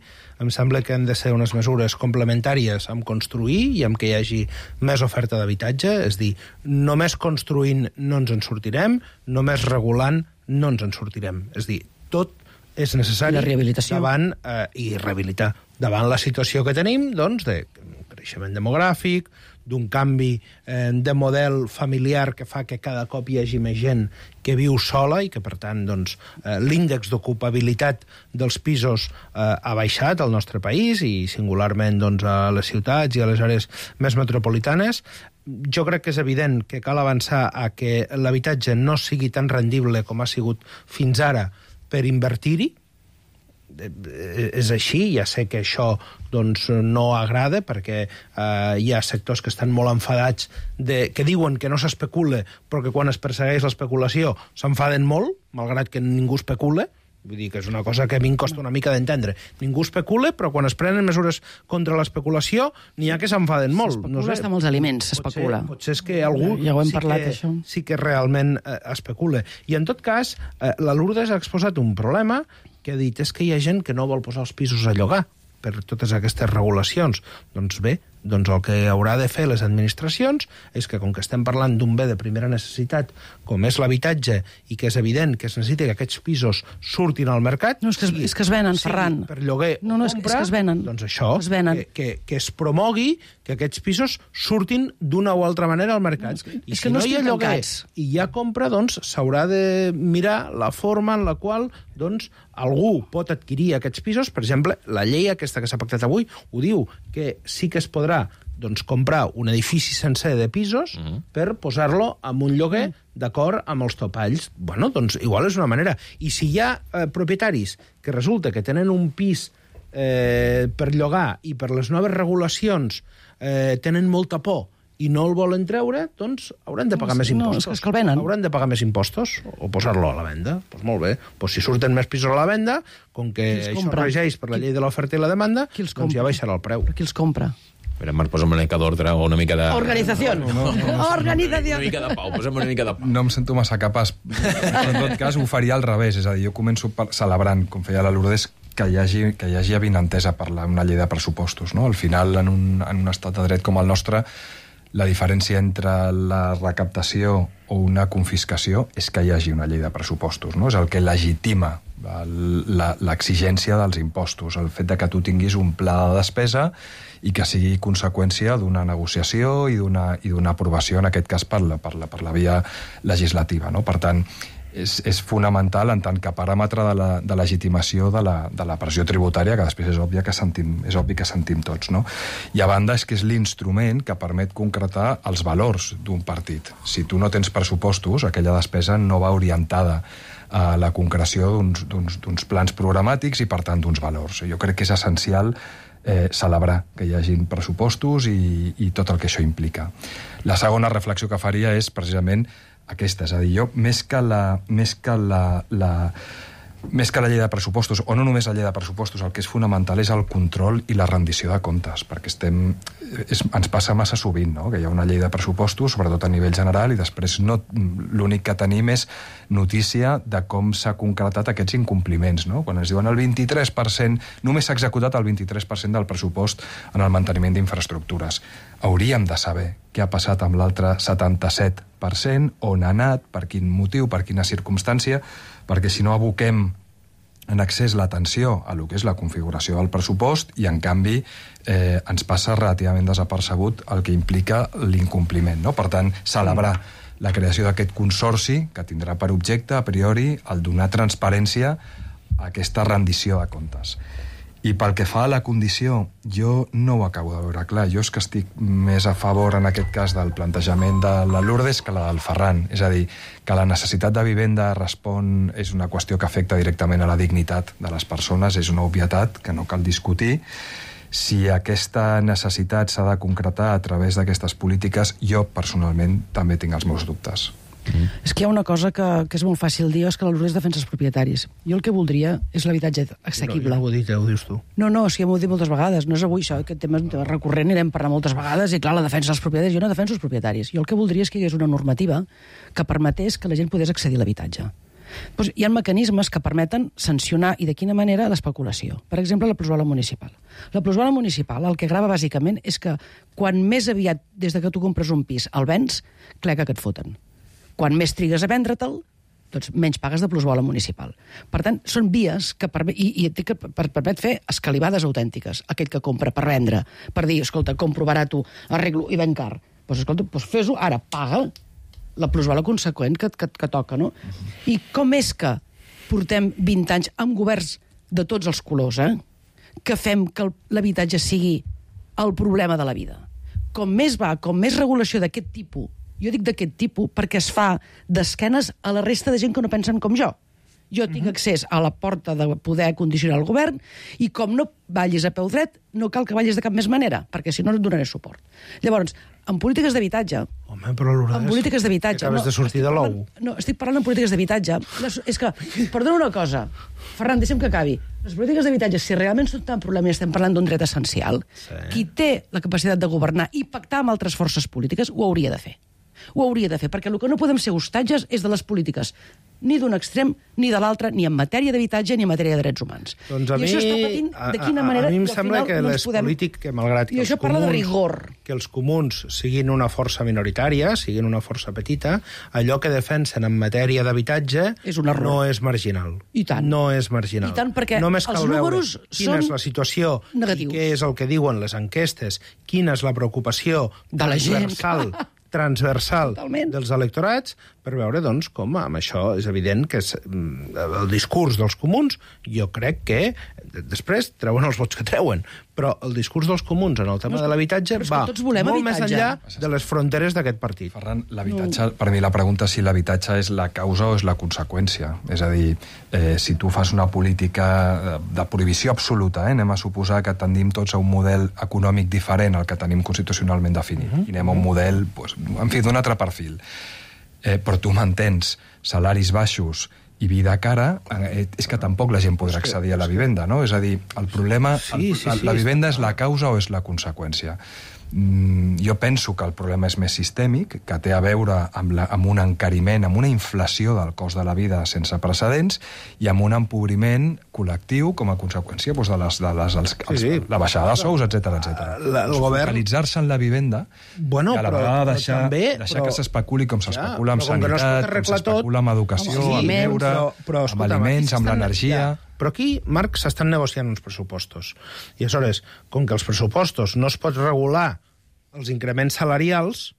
em sembla que han de ser unes mesures complementàries amb construir i amb que hi hagi més oferta d'habitatge, és dir, només construint no ens en sortirem, només regulant no ens en sortirem. És dir, tot és necessari davant, eh, i rehabilitar davant la situació que tenim, doncs, de creixement demogràfic, d'un canvi eh, de model familiar que fa que cada cop hi hagi més gent que viu sola i que, per tant, doncs, eh, l'índex d'ocupabilitat dels pisos eh, ha baixat al nostre país i singularment doncs, a les ciutats i a les àrees més metropolitanes. Jo crec que és evident que cal avançar a que l'habitatge no sigui tan rendible com ha sigut fins ara per invertir-hi. És així, ja sé que això doncs, no agrada perquè eh, hi ha sectors que estan molt enfadats de, que diuen que no s'especula però que quan es persegueix l'especulació s'enfaden molt, malgrat que ningú especula. Vull dir que és una cosa que a mi em costa una mica d'entendre. Ningú especula, però quan es prenen mesures contra l'especulació n'hi ha que s'enfaden molt. S'especula no sé, està molts aliments, s'especula. Potser, potser és que algú ja, ja ho hem sí, parlat, que, això. sí que realment eh, especula. I en tot cas, eh, la Lourdes ha exposat un problema que ha dit és que hi ha gent que no vol posar els pisos a llogar per totes aquestes regulacions. Doncs bé, doncs el que haurà de fer les administracions és que, com que estem parlant d'un bé de primera necessitat, com és l'habitatge, i que és evident que es necessita que aquests pisos surtin al mercat... No, és que es, és que es venen, sí, Ferran. per lloguer no, no, o compra, és que es venen. doncs això, es venen. Que, que, que es promogui que aquests pisos surtin d'una o altra manera al mercat. No, és que, I és si que no, no hi ha lloguer i hi ha compra, doncs s'haurà de mirar la forma en la qual doncs, algú pot adquirir aquests pisos. Per exemple, la llei aquesta que s'ha pactat avui ho diu, que sí que es podrà doncs, comprar un edifici sencer de pisos uh -huh. per posar-lo en un lloguer uh -huh. d'acord amb els topalls. Bueno, doncs igual és una manera. I si hi ha eh, propietaris que resulta que tenen un pis eh, per llogar i per les noves regulacions eh, tenen molta por i no el volen treure, doncs hauran de pagar no, més impostos. No, és que el venen. Hauran de pagar més impostos o posar-lo a la venda. Doncs pues molt bé. Pues si surten més pisos a la venda, com que això regeix per la llei de l'oferta i la demanda, doncs ja baixarà el preu. Però qui els compra? Mira, Marc, posa'm una mica d'ordre o una mica de... Organizació. No, no, no. Organizació. Una mica de pau, posa'm una mica de pau. No em sento massa capaç. Però en tot cas ho faria al revés. És a dir, jo començo celebrant, com feia la Lourdes, que hi hagi, que hi hagi avinentesa per la, una llei de pressupostos. No? Al final, en un, en un estat de dret com el nostre, la diferència entre la recaptació o una confiscació és que hi hagi una llei de pressupostos. No? És el que legitima l'exigència dels impostos, el fet de que tu tinguis un pla de despesa i que sigui conseqüència d'una negociació i d'una i d'una aprovació, en aquest cas per la, per la, per la via legislativa. No? Per tant, és, és fonamental en tant que paràmetre de, la, de legitimació de la, de la pressió tributària, que després és obvi que sentim, és obvi que sentim tots. No? I a banda és que és l'instrument que permet concretar els valors d'un partit. Si tu no tens pressupostos, aquella despesa no va orientada a la concreció d'uns plans programàtics i, per tant, d'uns valors. Jo crec que és essencial eh, celebrar que hi hagin pressupostos i, i tot el que això implica. La segona reflexió que faria és precisament aquesta, és a dir, jo, més que la, més que la, la, més que la llei de pressupostos, o no només la llei de pressupostos, el que és fonamental és el control i la rendició de comptes, perquè estem, és, ens passa massa sovint, no? Que hi ha una llei de pressupostos, sobretot a nivell general, i després no, l'únic que tenim és notícia de com s'ha concretat aquests incompliments, no? Quan ens diuen el vint-i-tres per cent, només s'ha executat el vint-i-tres per cent del pressupost en el manteniment d'infraestructures. Hauríem de saber què ha passat amb l'altre setanta-set per cent, on ha anat, per quin motiu, per quina circumstància, perquè si no aboquem en excés l'atenció a lo que és la configuració del pressupost i, en canvi, eh, ens passa relativament desapercebut el que implica l'incompliment. No? Per tant, celebrar la creació d'aquest consorci que tindrà per objecte, a priori, el donar transparència a aquesta rendició de comptes. I pel que fa a la condició, jo no ho acabo de veure clar. Jo és que estic més a favor, en aquest cas, del plantejament de la Lourdes que la del Ferran. És a dir, que la necessitat de vivenda respon, és una qüestió que afecta directament a la dignitat de les persones, és una obvietat que no cal discutir. Si aquesta necessitat s'ha de concretar a través d'aquestes polítiques, jo, personalment, també tinc els meus dubtes. Mm. És que hi ha una cosa que, que és molt fàcil dir, és que la Lourdes defensa els propietaris. Jo el que voldria és l'habitatge assequible. No, jo ho he dit, ho dius tu. No, no, és que m'ho he dit moltes vegades. No és avui això, aquest tema és un tema recurrent i l'hem parlat moltes vegades, i clar, la defensa dels propietaris. Jo no defenso els propietaris. Jo el que voldria és que hi hagués una normativa que permetés que la gent pogués accedir a l'habitatge. Doncs hi ha mecanismes que permeten sancionar, i de quina manera, l'especulació. Per exemple, la plusvàlua municipal. La plusvàlua municipal el que grava bàsicament és que quan més aviat, des de que tu compres un pis, el vens, cleca que et foten. Quan més trigues a vendre-te'l, doncs menys pagues de plusvàlua municipal. Per tant, són vies que permet, i, i que permet fer escalivades autèntiques. Aquell que compra per vendre, per dir, escolta, compro barat, arreglo i ven car. Doncs escolta, doncs fes-ho, ara paga la plusvàlua conseqüent que, que, que toca, no? Uh-huh. I com és que portem vint anys amb governs de tots els colors, eh? Que fem que l'habitatge sigui el problema de la vida? Com més va, com més regulació d'aquest tipus, jo dic d'aquest tipus perquè es fa d'esquenes a la resta de gent que no pensen com jo. Jo tinc accés a la porta de poder condicionar el govern i com no ballis a peu dret, no cal que ballis de cap més manera, perquè si no no et donaré suport. Llavors, en polítiques d'habitatge... Home, però Lourdes... En polítiques d'habitatge... Acabes no, de sortir de l'ou. No, estic parlant en polítiques d'habitatge. És que, perdona una cosa, Ferran, deixa'm que acabi. Les polítiques d'habitatge, si realment són tan problema i estem parlant d'un dret essencial, sí. Qui té la capacitat de governar i pactar amb altres forces polítiques ho hauria de fer. Ho hauria de fer, perquè el que no podem ser hostatges és de les polítiques, ni d'un extrem ni de l'altre, ni en matèria d'habitatge ni en matèria de drets humans. Doncs a I mi, això està patint de quina a, manera... a mi em i al sembla final que no ens les podem... polític, que malgrat que I els, això parla de comuns, rigor. que els comuns siguin una força minoritària, siguin una força petita, allò que defensen en matèria d'habitatge no és marginal. I tant. No és marginal. I tant, perquè Només cal els números veure quina són és la situació negatius. i què és el que diuen les enquestes, quina és la preocupació de la gent, transversal, transversal Totalment. dels electorats, per veure, doncs, com amb això és evident que és, el discurs dels comuns, jo crec que després treuen els vots que treuen, però el discurs dels comuns en el tema no, de l'habitatge va molt habitatge. més enllà de les fronteres d'aquest partit. Ferran, l'habitatge, no. per mi la pregunta és si l'habitatge és la causa o és la conseqüència. És a dir, eh, si tu fas una política de prohibició absoluta, eh, anem a suposar que tendim tots a un model econòmic diferent al que tenim constitucionalment definit, uh -huh. i anem a un model, pues, en fi, d'un altre perfil. Eh, però tu mantens salaris baixos i vida cara, eh, és que tampoc la gent podrà accedir a la vivenda, no? És a dir, el problema, sí, el, sí, la, sí, la vivenda és la causa o és la conseqüència? Mm, jo penso que el problema és més sistèmic, que té a veure amb, la, amb un encariment, amb una inflació del cost de la vida sense precedents i amb un empobriment col·lectiu com a conseqüència doncs, de, les, de les, els, els, sí, sí. la baixada de sous, etcètera, etcètera. La, el govern... Focalitzar-se en la vivenda bueno, i a la però, vegada però deixar, també, deixar però... que s'especuli com s'especula ja, amb sanitat, no com s'especula amb educació, sí, amb lleure, però, però, amb aliments, amb l'energia... Però aquí, Marc, s'estan negociant uns pressupostos. I aleshores, com que els pressupostos no es pot regular els increments salarials,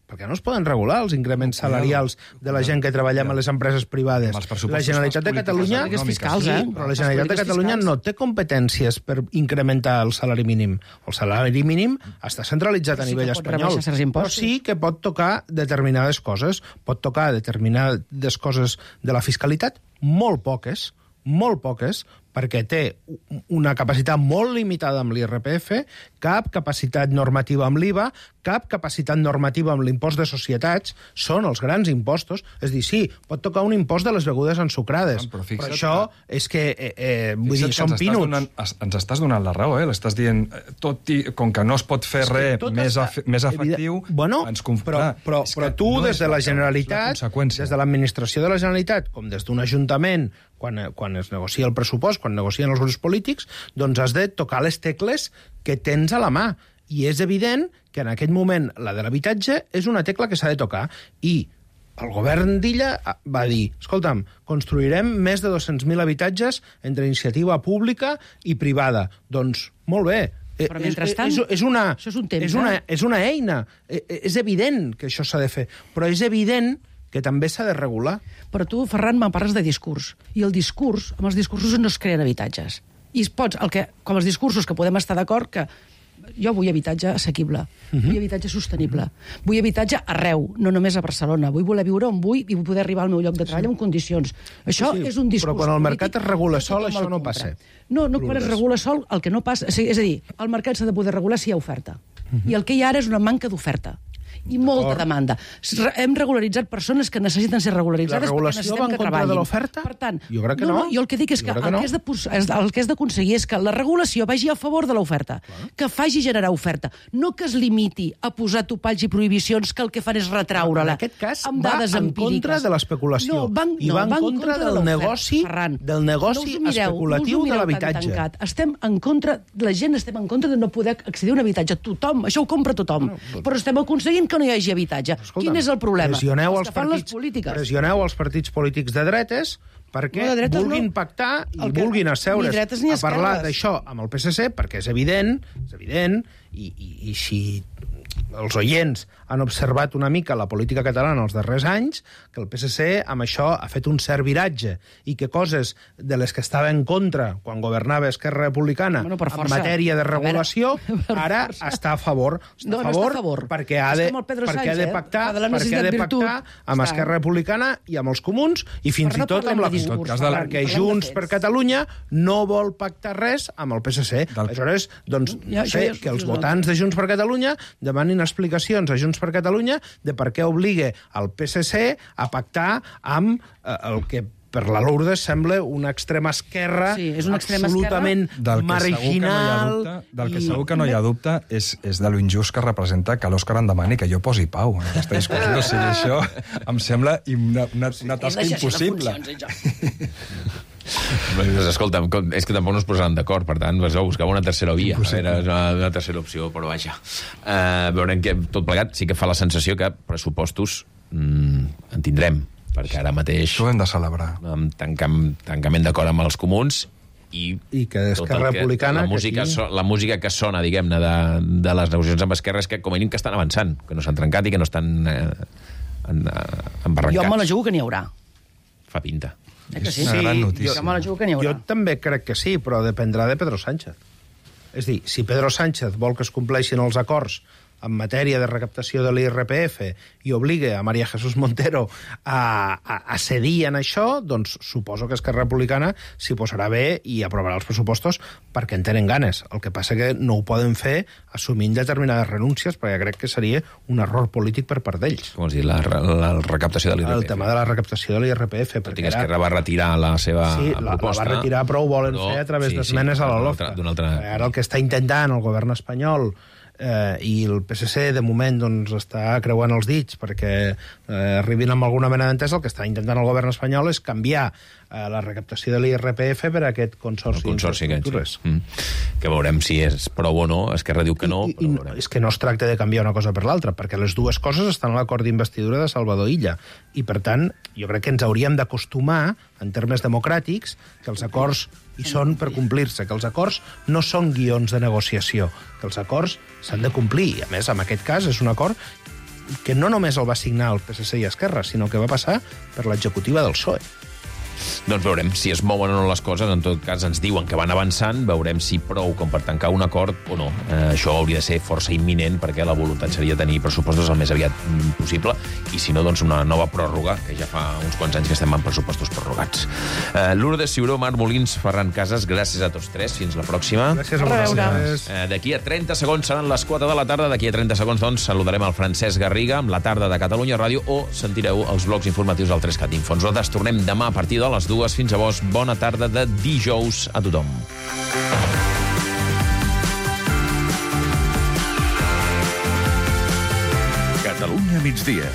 perquè no es poden regular els increments salarials de la gent que treballem a les empreses privades. La Generalitat de Catalunya... Fiscals, eh? Sí, però la Generalitat de Catalunya no té competències per incrementar el salari mínim. El salari mínim està centralitzat a nivell espanyol, però sí que pot tocar determinades coses. Pot tocar determinades coses de la fiscalitat, molt poques, molt poques, perquè té una capacitat molt limitada amb l'I R P F, cap capacitat normativa amb l'I V A, cap capacitat normativa amb l'impost de societats, són els grans impostos. És dir, sí, pot tocar un impost de les begudes ensucrades, però, però això que... és que eh, eh, vull dir, són pinuts. Donant, ens estàs donant la raó, eh? L'estàs dient, tot i, com que no es pot fer res més, està... més efectiu, bueno, ens conf... però, però, però tu, no des de la Generalitat, des de l'administració de la Generalitat, com des d'un ajuntament, quan, quan es negocia el pressupost, quan negocien els grups polítics, doncs has de tocar les tecles que tens a la mà. I és evident que en aquest moment la de l'habitatge és una tecla que s'ha de tocar. I el govern d'Illa va dir, escolta'm, construirem més de dos-cents mil habitatges entre iniciativa pública i privada. Doncs, molt bé. Però mentrestant, és, és, una, això és un temps, és, una, és una eina. És evident que això s'ha de fer. Però és evident que també s'ha de regular. Però tu, Ferran, me'n parles de discurs. I el discurs, amb els discursos no es creen habitatges. I es pots, el que, com els discursos que podem estar d'acord que jo vull habitatge assequible, uh-huh. vull habitatge sostenible, vull habitatge arreu, no només a Barcelona, vull voler viure on vull i vull poder arribar al meu lloc de treball sí. en condicions. Això sí, sí, és un discurs però quan el mercat es regula sol, això no passa. No, no, quan es regula sol, el que no passa... És a dir, el mercat s'ha de poder regular si hi ha oferta. Uh-huh. I el que hi ha ara és una manca d'oferta. I molta demanda. Hem regularitzat persones que necessiten ser regularitzades perquè necessitem que treballin. La regulació va en contra de l'oferta? Per tant, jo crec que no. no. no jo el que dic és que, que, el, no. que és de, el que és d'aconseguir és que la regulació vagi a favor de l'oferta, que faci generar oferta, no que es limiti a posar topalls i prohibicions que el que fan és retraure-la. En aquest cas amb va dades en empíriques. contra de l'especulació no, van, i no, va en va contra, contra del negoci, Ferran, del negoci no mireu, especulatiu no de l'habitatge. Estem en contra, la gent estem en contra de no poder accedir a un habitatge. Tothom, això ho compra tothom. No, no, però estem aconseguint que no hi hagi habitatge. Escolta'm, quin és el problema? Pressioneu els, els, partits, pressioneu els partits polítics de dretes perquè no, de vulguin no. pactar i que, vulguin asseure's ni ni a parlar d'això amb el P S C, perquè és evident, és evident, i, i, i si els oients han observat una mica la política catalana els darrers anys, que el P S C amb això ha fet un cert viratge i que coses de les que estava en contra quan governava Esquerra Republicana bueno, en matèria de regulació, ara està a favor. Està no, a favor, no està a favor perquè ha de, perquè Sánchez, ha de pactar, eh? perquè ha de pactar amb està. Esquerra Republicana i amb els comuns i fins però i tot no amb la de discurs, CUP, perquè Junts per Catalunya no vol pactar res amb el P S C. Aleshores, doncs, no sé, que els votants de Junts per Catalunya demanin explicacions a Junts per Catalunya de per què obliga el P S C a pactar amb eh, el que per la Lourdes sembla una extrema esquerra Sí, és una extrema absolutament Del que marginal. segur que no hi ha dubte, del que segur que no hi ha dubte és, és de lo injust que representa que l'Òscar em demani que jo posi pau en aquesta discussió. O sigui, això em sembla una, una, una tasca impossible. Escolta'm, és que tampoc no es posaran d'acord, per tant, vas a buscar una tercera via. Era una, una tercera opció, però vaja. Uh, veurem que tot plegat sí que fa la sensació que pressupostos mm, en tindrem, perquè ara mateix... Això ho hem de celebrar. Amb tancam, tancament d'acord amb els comuns i, I que Esquerra Republicana... La música, que aquí... so, la música que sona, diguem-ne, de, de les negociacions amb Esquerra és que, com a mínim, que estan avançant, que no s'han trencat i que no estan eh, en, eh, embarrancats. Jo me la jugo que n'hi haurà. Fa pinta. Eh que sí? Sí, gran notícia. Jo me la jugo que n'hi haurà. Jo també crec que sí, però dependrà de Pedro Sánchez. És a dir, si Pedro Sánchez vol que es compleixin els acords en matèria de recaptació de l'I R P F i obliga a María Jesús Montero a, a, a cedir en això, doncs suposo que Esquerra Republicana s'hi posarà bé i aprovarà els pressupostos perquè en tenen ganes. El que passa que no ho poden fer assumint determinades renúncies, perquè crec que seria un error polític per part d'ells. Com has dit, la, la recaptació de l'I R P F. El tema de la recaptació de l'I R P F. Tot i que Esquerra va retirar la seva sí, proposta. La va retirar, però ho volen però, fer a través sí, d'esmenes sí, a la altra, LOFTA. altra... Ara el que està intentant el govern espanyol eh, i el P S C, de moment, doncs, està creuant els dits perquè eh, arribin amb alguna mena d'entesa. El que està intentant el govern espanyol és canviar eh, la recaptació de l'I R P F per aquest consorci, el consorci d'infraestructures. Sí. Mm. Que veurem si és prou o no. Esquerra diu que no, I, però i, veurem. és que no es tracta de canviar una cosa per l'altra, perquè les dues coses estan a l'acord d'investidura de Salvador Illa. I, per tant, jo crec que ens hauríem d'acostumar, en termes democràtics, que els acords hi són per complir-se, que els acords no són guions de negociació, que els acords s'han de complir. I, a més, en aquest cas, és un acord que no només el va signar el P S C i Esquerra, sinó que va passar per l'executiva del P S O E. Doncs veurem si es mouen o no les coses. En tot cas, ens diuen que van avançant. Veurem si prou com per tancar un acord o no. Eh, això hauria de ser força imminent, perquè la voluntat seria tenir pressupostos el més aviat possible, i si no, doncs una nova pròrroga, que ja fa uns quants anys que estem amb pressupostos prorrogats. Eh, Lourdes Ciuró, Marc Molins, Ferran Casas, gràcies a tots tres. Fins la pròxima. Gràcies a vosaltres. Eh, D'aquí a trenta segons seran les quatre de la tarda. D'aquí a trenta segons, doncs, saludarem el Francesc Garriga amb la tarda de Catalunya Ràdio, o sentireu els blocs informatius del tres cat Info. Nosaltres tornem demà a partir de les dues. Fins llavors, bona tarda de dijous a tothom. Catalunya migdia